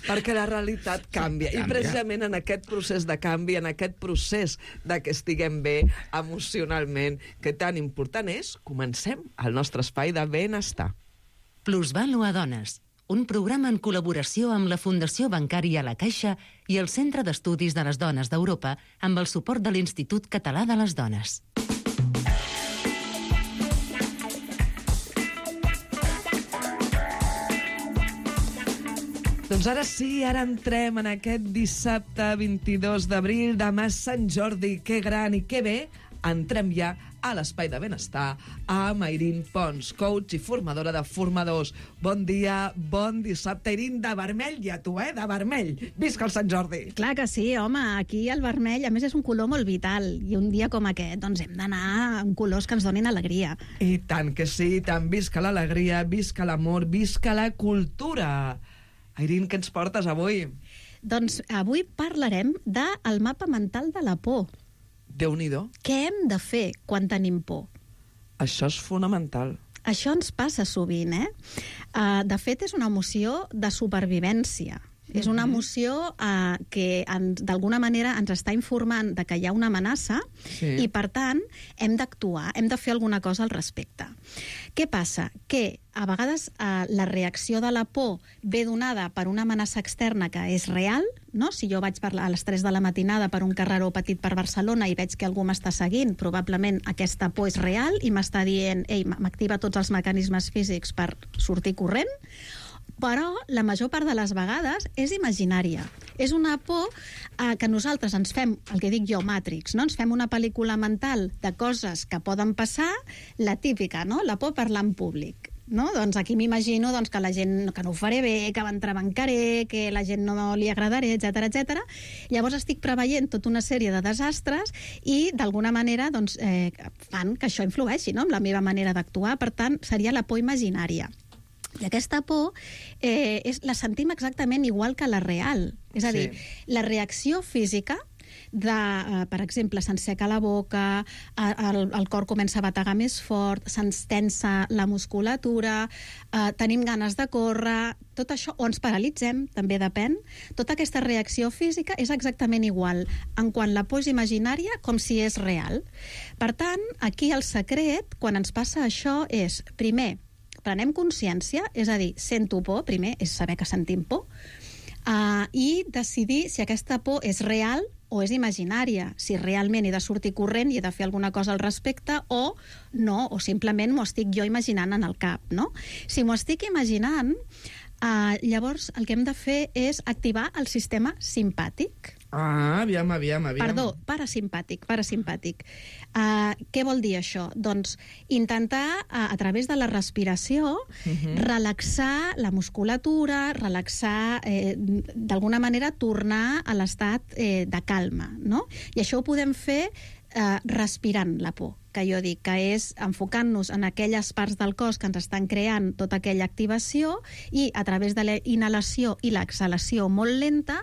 Perquè la realitat canvia. canvia. I precisament en aquest procés de canvi, en aquest procés de que estiguem bé emocionalment, que tan important és, comencem el nostre espai de benestar. Plusvalua Dones, un programa en col·laboració amb la Fundació Bancària La Caixa i el Centre d'Estudis de les Dones d'Europa amb el suport de l'Institut Català de les Dones. Doncs ara sí, ara entrem en aquest dissabte vint-i-dos d'abril, demà Sant Jordi, que gran i que bé, entrem ja a l'Espai de Benestar amb Airín Pons, coach i formadora de formadors. Bon dia, bon dissabte, Airín, de vermell, i a tu, eh, de vermell. Visca el Sant Jordi! Clar que sí, home, aquí el vermell, a més, és un color molt vital, i un dia com aquest, doncs hem d'anar amb colors que ens donin alegria. I tant que sí, tant visca l'alegria, visca l'amor, visca la cultura. Airín, què ens portes avui? Doncs avui parlarem del mapa mental de la por. Déu-n'hi-do. Què hem de fer quan tenim por? Això és fonamental. Això ens passa sovint, eh? Uh, de fet, és una emoció de supervivència. Mm-hmm. És una emoció uh, que d'alguna manera ens està informant de que hi ha una amenaça sí. i, per tant, hem d'actuar, hem de fer alguna cosa al respecte. Què passa? Que a vegades eh, la reacció de la por ve donada per una amenaça externa que és real, no? Si jo vaig per a les tres de la matinada per un carreró petit per Barcelona i veig que algú m'està seguint, probablement aquesta por és real i m'està dient, ei, m'activa tots els mecanismes físics per sortir corrent, però la major part de les vegades és imaginària. És una por eh, que nosaltres ens fem, el que dic jo, Matrix, no? Ens fem una pel·lícula mental de coses que poden passar, la típica, no? La por a parlar en públic. no? Doncs aquí m'imagino doncs, que la gent que no ho faré bé, que m'entrebancaré, que la gent no li agradaré, etcètera, etcètera. Llavors estic preveient tota una sèrie de desastres i, d'alguna manera, doncs, eh, fan que això influeixi, no?, amb la meva manera d'actuar. Per tant, seria la por imaginària. I aquesta por eh, és, la sentim exactament igual que la real. És a dir, sí. La reacció física de, eh, per exemple, se'ns seca la boca, el, el cor comença a bategar més fort, se'ns tensa la musculatura, eh, tenim ganes de córrer, tot això, o ens paralitzem, també depèn. Tota aquesta reacció física és exactament igual en quant la por és imaginària com si és real. Per tant, aquí el secret, quan ens passa això, és, primer, prenem consciència, és a dir, sento por, primer és saber que sentim por, uh, i decidir si aquesta por és real o és imaginària, si realment he de sortir corrent i he de fer alguna cosa al respecte o no, o simplement m'ho estic jo imaginant en el cap, no? Si m'ho estic imaginant, uh, llavors el que hem de fer és activar el sistema simpàtic. Ah, aviam, aviam, aviam. Perdó, parasimpàtic, parasimpàtic. Uh, què vol dir això? Doncs intentar, uh, a través de la respiració, uh-huh. relaxar la musculatura, relaxar, eh, d'alguna manera, tornar a l'estat eh, de calma, no? I això ho podem fer eh, respirant la por, que jo dic, que és enfocant-nos en aquelles parts del cos que ens estan creant tota aquella activació i a través de la inhalació i l'exhalació molt lenta,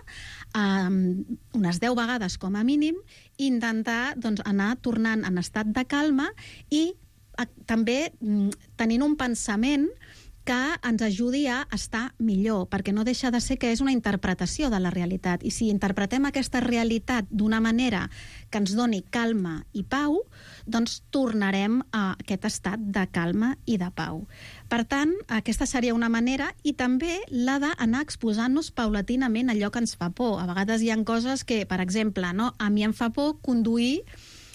um, unes deu vegades com a mínim, intentar doncs, anar tornant en estat de calma i a, també mm, tenint un pensament que ens ajudi a estar millor, perquè no deixa de ser que és una interpretació de la realitat. I si interpretem aquesta realitat d'una manera que ens doni calma i pau, doncs tornarem a aquest estat de calma i de pau. Per tant, aquesta seria una manera, i també la d'anar exposant-nos paulatinament a allò que ens fa por. A vegades hi ha coses que, per exemple, no? A mi em fa por conduir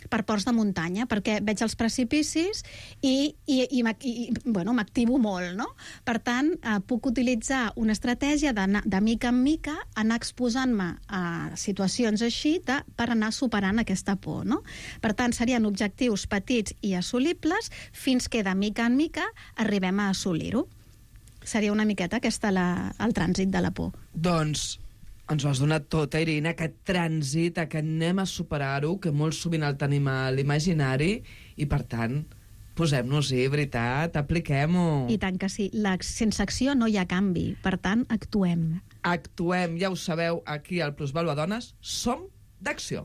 per ports de muntanya, perquè veig els precipicis i, i, i, i bueno, m'activo molt, no? Per tant, eh, puc utilitzar una estratègia de, de mica en mica anar exposant-me a situacions així de, per anar superant aquesta por, no? Per tant, serien objectius petits i assolibles fins que de mica en mica arribem a assolir-ho. Seria una miqueta aquesta la, el trànsit de la por. Doncs ens ho has donat tot, eh, Irina, aquest trànsit, que anem a superar-ho, que molt sovint el tenim a l'imaginari, i per tant, posem-nos-hi, veritat, apliquem-ho. I tant que sí, la, sense acció no hi ha canvi, per tant, actuem. Actuem, ja ho sabeu, aquí al Plusvàlua Dones, som d'acció.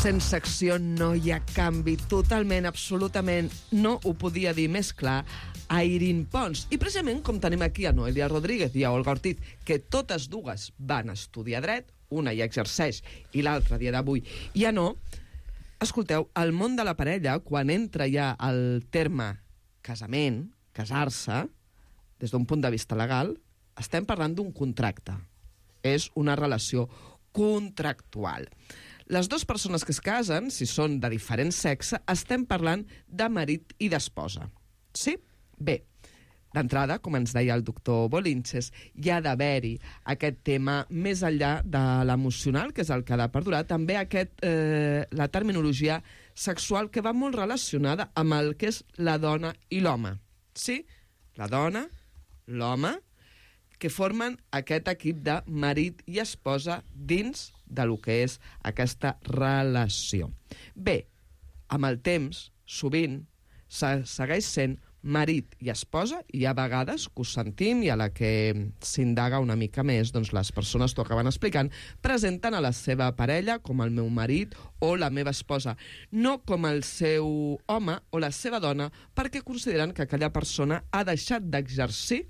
Sense acció no hi ha canvi, totalment, absolutament, no ho podia dir més clar a Irin Pons. I precisament com tenim aquí a Noelia Rodríguez i a Olga Ortiz, que totes dues van estudiar dret, una ja exerceix i l'altra dia d'avui ja no, escolteu, el món de la parella, quan entra ja el terme casament, casar-se, des d'un punt de vista legal, estem parlant d'un contracte. És una relació contractual. Les dues persones que es casen, si són de diferent sexe, estem parlant de marit i d'esposa. Sí? Bé, d'entrada, com ens deia el doctor Bolinches, hi ha d'haver-hi aquest tema més enllà de l'emocional, que és el que ha de perdurar, també aquest, eh, la terminologia sexual que va molt relacionada amb el que és la dona i l'home. Sí? La dona, l'home, que formen aquest equip de marit i esposa dins de lo que és aquesta relació. Bé, amb el temps, sovint, se segueix sent marit i esposa, i hi ha vegades que ho sentim, i a la que s'indaga una mica més, doncs les persones t'ho acaben explicant, presenten a la seva parella com el meu marit o la meva esposa, no com el seu home o la seva dona, perquè consideren que aquella persona ha deixat d'exercir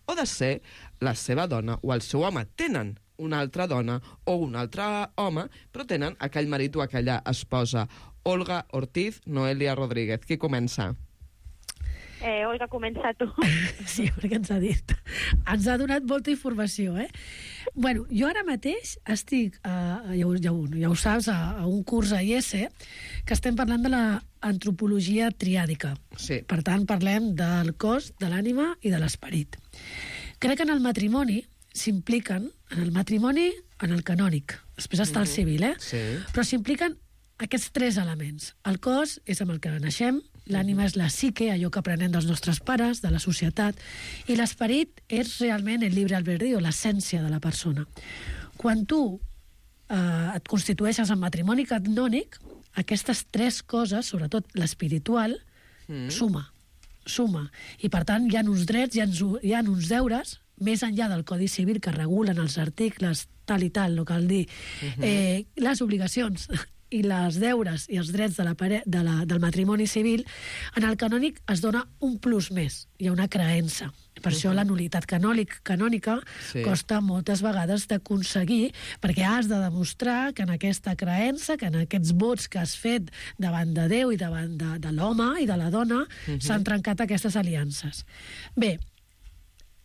o de ser la seva dona o el seu home. Tenen una altra dona o un altre home, però tenen aquell marit o aquella esposa. Olga Ortiz, Noelia Rodríguez. Qui comença? Eh, Olga, comença tu. Sí, perquè ens ha dit. Ens ha donat molta informació, eh? Bueno, jo ara mateix estic, a, ja, ho, ja, ho, ja ho saps, a, a un curs a I E S E, que estem parlant de l'antropologia triàdica. Sí. Per tant, parlem del cos, de l'ànima i de l'esperit. Crec que en el matrimoni s'impliquen, en el matrimoni, en el canònic. Després està el civil, eh? Sí. Però s'impliquen aquests tres elements. El cos és amb el que naixem, l'ànima és la psique, allò que aprenem dels nostres pares, de la societat, i l'esperit és realment el llibre albedrío, l'essència de la persona. Quan tu eh, et constitueixes en matrimoni canònic, aquestes tres coses, sobretot l'espiritual, mm. suma, suma. I per tant hi ha uns drets, hi ha, hi ha uns deures, més enllà del Codi Civil que regulen els articles tal i tal, no cal dir, uh-huh. eh, les obligacions i les deures i els drets de la pare... de la... del matrimoni civil, en el canònic es dona un plus més, hi ha una creença. Per uh-huh. això la nul·litat canònic, canònica sí. costa moltes vegades d'aconseguir, perquè has de demostrar que en aquesta creença, que en aquests vots que has fet davant de Déu i davant de, de l'home i de la dona, uh-huh. s'han trencat aquestes aliances. Bé,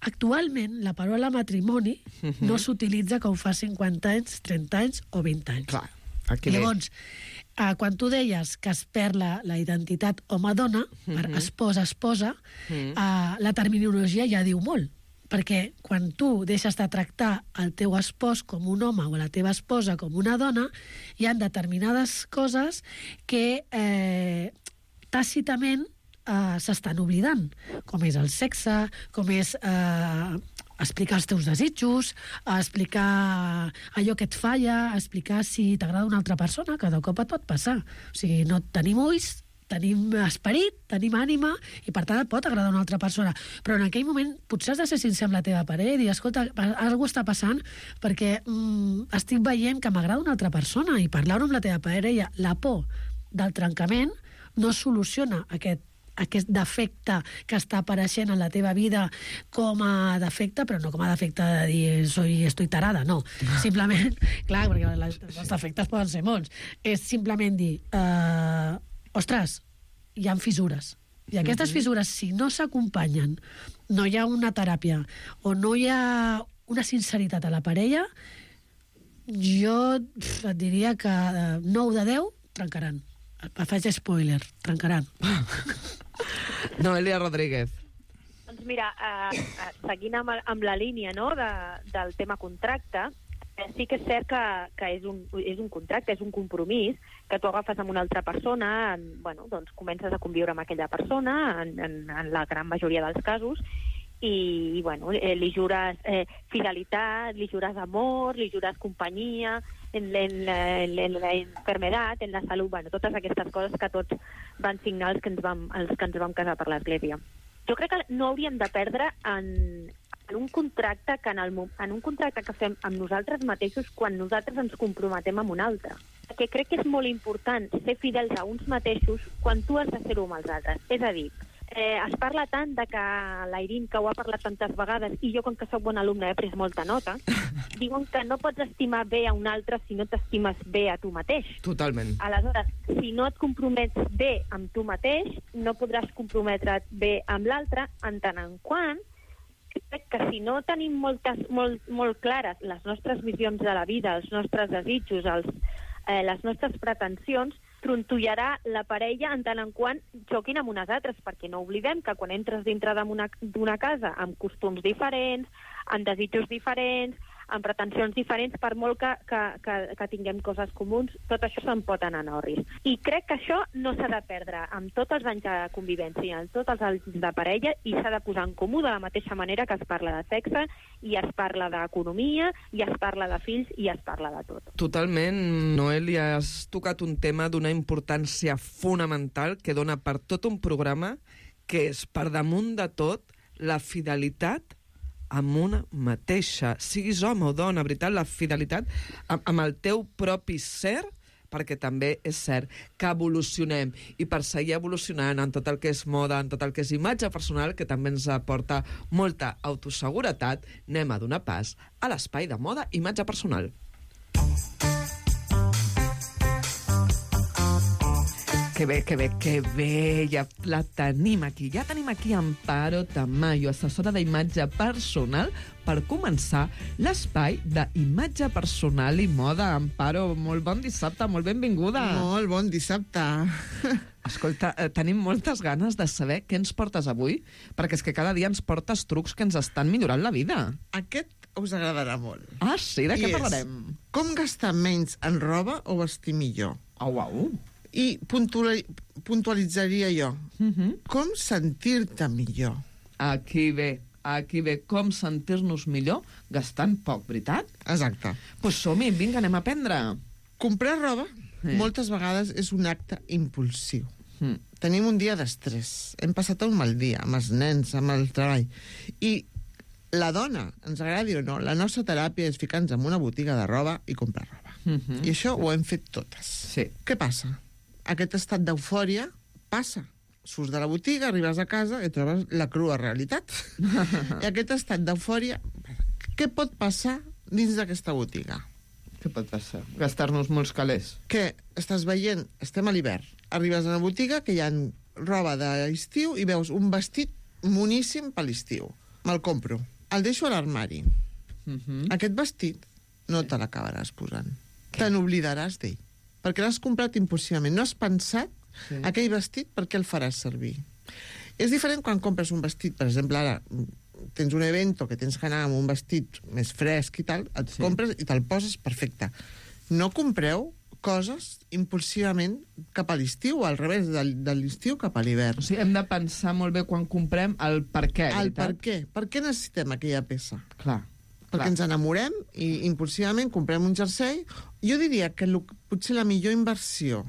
actualment la paraula matrimoni uh-huh. no s'utilitza que ho fa cinquanta anys, trenta anys o vint anys. Clar. Aquí Llavors, eh, quan tu deies que es perd la, la identitat home-dona, per Mhm. esposa-esposa, Mhm. eh, la terminologia ja diu molt. Perquè quan tu deixes de tractar el teu espòs com un home o la teva esposa com una dona, hi ha determinades coses que eh, tàcitament eh, s'estan oblidant, com és el sexe, com és eh, explicar els teus desitjos, explicar allò que et falla, explicar si t'agrada una altra persona, que de cop et pot passar. O sigui, no tenim ulls, tenim esperit, tenim ànima, i per tant et pot agradar una altra persona. Però en aquell moment potser has de ser sincer amb la teva parella i dir, escolta, alguna està passant perquè mm, estic veient que m'agrada una altra persona, i parlar-ho amb la teva parella. La por del trencament no soluciona aquest aquest defecte que està apareixent en la teva vida com a defecte, però no com a defecte de dir soy, estoy tarada, no. Simplement, clar, perquè les, els defectes poden ser molts. És simplement dir, eh, ostres, hi ha fissures. I aquestes fissures, si no s'acompanyen, no hi ha una teràpia o no hi ha una sinceritat a la parella, jo pf, et diria que nou de deu trencaran. Faig spoiler, trencaran. Noelia Rodríguez. Doncs mira, eh, eh, seguint amb, amb la línia, no, de, del tema contracte, eh, sí que és cert que, que és, un, és un contracte, és un compromís que tu agafes amb una altra persona, en, bueno, doncs comences a conviure amb aquella persona, en, en, en la gran majoria dels casos, i, bueno, eh, li jures eh, fidelitat, li jures amor, li jures companyia, en, en, la, en la enfermedad, en la salut, bueno, totes aquestes coses que tots van signar els que ens vam, els que ens vam casar per l'Església. Jo crec que no hauríem de perdre en, en un contracte que en, el, en un contracte que fem amb nosaltres mateixos quan nosaltres ens comprometem amb un altre. Perquè crec que és molt important ser fidels a uns mateixos quan tu has de ser-ho amb els altres. És a dir, Eh, es parla tant de que l'Airín, que ho ha parlat tantes vegades, i jo, com que soc bon alumne, he pres molta nota, diuen que no pots estimar bé a un altre si no t'estimes bé a tu mateix. Totalment. Aleshores, si no et compromets bé amb tu mateix, no podràs comprometre't bé amb l'altre, en tant en quant crec que si no tenim moltes, molt, molt clares les nostres visions de la vida, els nostres desitjos, els, eh, les nostres pretensions, trontollarà la parella en tant en quant xoquin amb unes altres, perquè no oblidem que quan entres dintre d'una casa amb costums diferents, amb desitjos diferents, amb pretensions diferents, per molt que, que, que, que tinguem coses comuns, tot això se'n pot anar en orris. I crec que això no s'ha de perdre amb tots els anys de convivència, amb tots els anys de parella, i s'ha de posar en comú de la mateixa manera que es parla de sexe, i es parla d'economia, i es parla de fills, i es parla de tot. Totalment, Noelia, has tocat un tema d'una importància fonamental que dona per tot un programa, que és, per damunt de tot, la fidelitat amb una mateixa, siguis home o dona, veritat, la fidelitat amb, amb el teu propi ser, perquè també és cert que evolucionem, i per seguir evolucionant en tot el que és moda, en tot el que és imatge personal, que també ens aporta molta autoseguretat, anem a donar pas a l'espai de moda imatge personal. Que bé, que bé, que bé, ja la tenim aquí. Ja tenim aquí Amparo Tamayo, assessora d'imatge personal, per començar l'espai d'imatge personal i moda. Amparo, molt bon dissabte, molt benvinguda. Molt bon dissabte. Escolta, eh, tenim moltes ganes de saber què ens portes avui, perquè és que cada dia ens portes trucs que ens estan millorant la vida. Aquest us agradarà molt. Ah, sí? De què I parlarem? Com gastar menys en roba o vestir millor. Au, au. I puntuali puntualitzaria jo. Uh -huh. Com sentir-te millor. Aquí ve, aquí ve com sentir-nos millor gastant poc, veritat? Exacte. Doncs pues som-hi, vinga, anem a aprendre. Comprar roba Sí. moltes vegades és un acte impulsiu. Mm. Tenim un dia d'estrès, hem passat un mal dia amb els nens, amb el treball, i la dona, ens agradi o no, la nostra teràpia és ficar-nos en una botiga de roba i comprar roba. Mm -hmm. I això ho hem fet totes. Sí. Què passa? Aquest estat d'eufòria passa. Surts de la botiga, arribes a casa i trobes la crua realitat. I aquest estat d'eufòria, què pot passar dins d'aquesta botiga? Què pot passar? Gastar-nos molts calés. Que estàs veient, estem a l'hivern, arribes a una botiga que hi ha roba d'estiu i veus un vestit moníssim per l'estiu. Me'l compro. El deixo a l'armari. Uh -huh. Aquest vestit no te l'acabaràs posant. Te n'oblidaràs d'ell. Perquè l'has comprat impulsivament. No has pensat sí. aquell vestit per què el faràs servir. És diferent quan compres un vestit, per exemple, ara tens un evento que tens que anar amb un vestit més fresc i tal, et sí. compres i te'l poses perfecte. No compreu coses impulsivament cap a l'estiu, o al revés, de, de l'estiu cap a l'hivern. O sigui, hem de pensar molt bé quan comprem el per què, el veritat? per què. Per què necessitem aquella peça? Clar. Perquè clar. ens enamorem i impulsivament comprem un jersei. Jo diria que lo, potser la millor inversió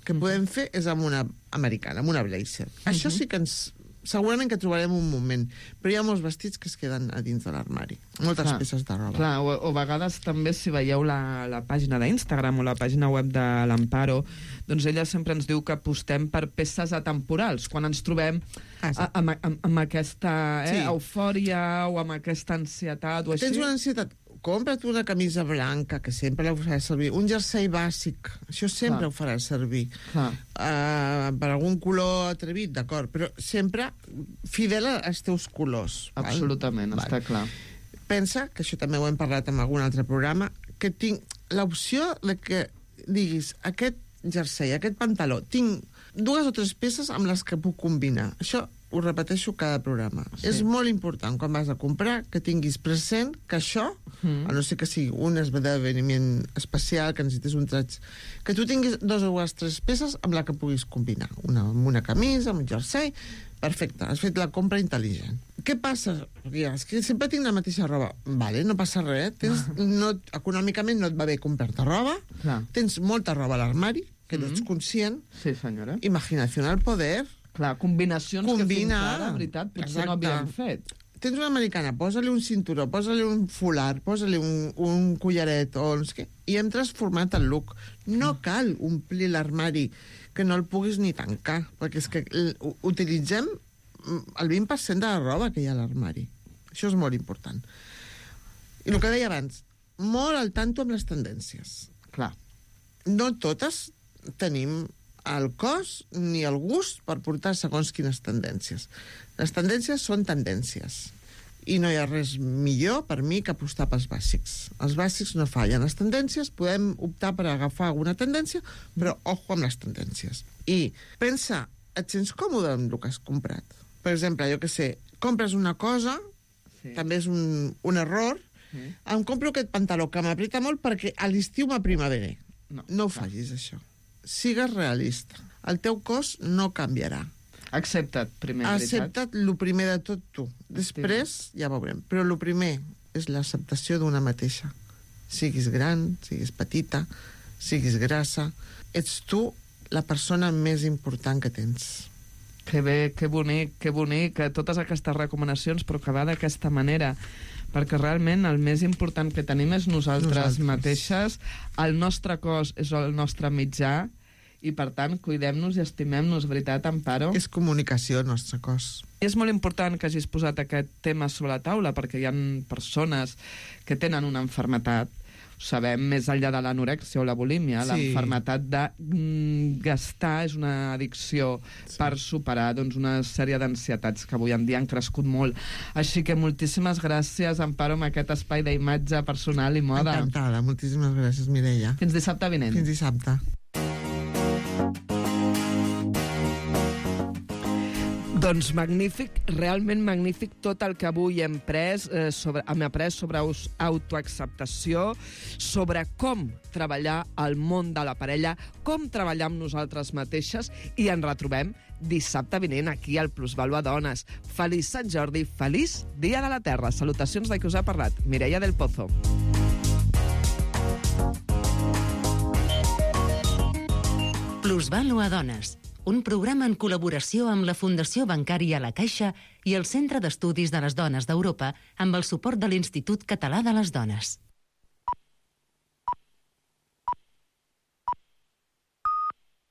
que podem fer és amb una americana, amb una blazer. Uh-huh. Això sí que ens... Segurament que trobarem un moment, però hi ha molts vestits que es queden a dins de l'armari. Moltes clar, peces de roba. Clar, o, o a vegades també si veieu la, la pàgina d'Instagram o la pàgina web de l'Amparo, doncs ella sempre ens diu que apostem per peces atemporals, quan ens trobem ah, sí. a, amb, amb, amb aquesta eh, sí. eufòria o amb aquesta ansietat o així. Tens una ansietat... Compra't una camisa blanca, que sempre la faràs servir. Un jersei bàsic, això sempre clar. ho faràs servir. Uh, per algun color atrevit, d'acord, però sempre fidel als teus colors. Absolutament, val? Està val. clar. Pensa, que això també ho hem parlat en algun altre programa, que tinc l'opció de que diguis aquest jersei, aquest pantaló, tinc dues o tres peces amb les que puc combinar. Això ho repeteixo cada programa. Sí. És molt important, quan vas a comprar, que tinguis present que això, mm. a no ser que sigui un esdeveniment especial, que necessites un traig, que tu tinguis dos o tres peces amb la que puguis combinar. Una amb una camisa, amb un jersei... Perfecte, has fet la compra intel·ligent. Què passa? És que sempre tinc la mateixa roba. Vale, no passa res. Tens, no, econòmicament no et va bé comprar-te roba. Clar. Tens molta roba a l'armari, que mm-hmm. no ets conscient. Sí, senyora. Imaginació al poder. Clar, combinacions Combina. que fins ara, en veritat, potser Exacte. no havíem fet. Tens una americana, posa-li un cinturó, posa-li un folar, posa-li un, un collaret, o no sé què, i hem transformat el look. No cal omplir l'armari que no el puguis ni tancar, perquè és que utilitzem el vint per cent de la roba que hi ha a l'armari. Això és molt important. I el que deia abans, molt al tanto amb les tendències. Clar. No totes tenim el cos ni el gust per portar segons quines tendències. Les tendències són tendències. I no hi ha res millor per mi que apostar pels bàsics. Els bàsics no fallen. Les tendències, podem optar per agafar alguna tendència, però ojo amb les tendències. I pensa, et sents còmode amb el que has comprat? Per exemple, jo que sé, compres una cosa, sí. també és un, un error, sí. em compro aquest pantaló que m'apreta molt perquè a l'estiu m'aprimaveré. No, no ho facis, això. Sigues realista. El teu cos no canviarà. Accepta't, primer, Accepta't el primer de tot tu. Després ja veurem. Però el primer és l'acceptació d'una mateixa. Siguis gran, siguis petita, siguis grassa. Ets tu la persona més important que tens. Que bé, que bonic, que bonic, que totes aquestes recomanacions, però que va d'aquesta manera, perquè realment el més important que tenim és nosaltres, nosaltres. mateixes, el nostre cos és el nostre mitjà, i, per tant, cuidem-nos i estimem-nos, veritat, Amparo? És comunicació, el nostre cos. I és molt important que hagis posat aquest tema sobre la taula, perquè hi ha persones que tenen una malaltia, ho sabem, més enllà de l'anorèxia o la bulímia, sí. la malaltia de mm, gastar és una addicció sí. per superar doncs, una sèrie d'ansietats que avui en dia han crescut molt. Així que moltíssimes gràcies, Amparo, amb aquest espai d'imatge personal i moda. Encantada, moltíssimes gràcies, Mireia. Fins dissabte vinent. Fins dissabte. Doncs magnífic, realment magnífic tot el que avui hem pres, eh, sobre, hem après sobre autoacceptació, sobre com treballar al món de la parella, com treballar amb nosaltres mateixes, i ens retrobem dissabte vinent aquí al Plusvàlua Dones. Feliç Sant Jordi, feliç Dia de la Terra. Salutacions de qui us ha parlat, Mireia del Pozo. Plusvàlua Dones, un programa en col·laboració amb la Fundació Bancària La Caixa i el Centre d'Estudis de les Dones d'Europa amb el suport de l'Institut Català de les Dones.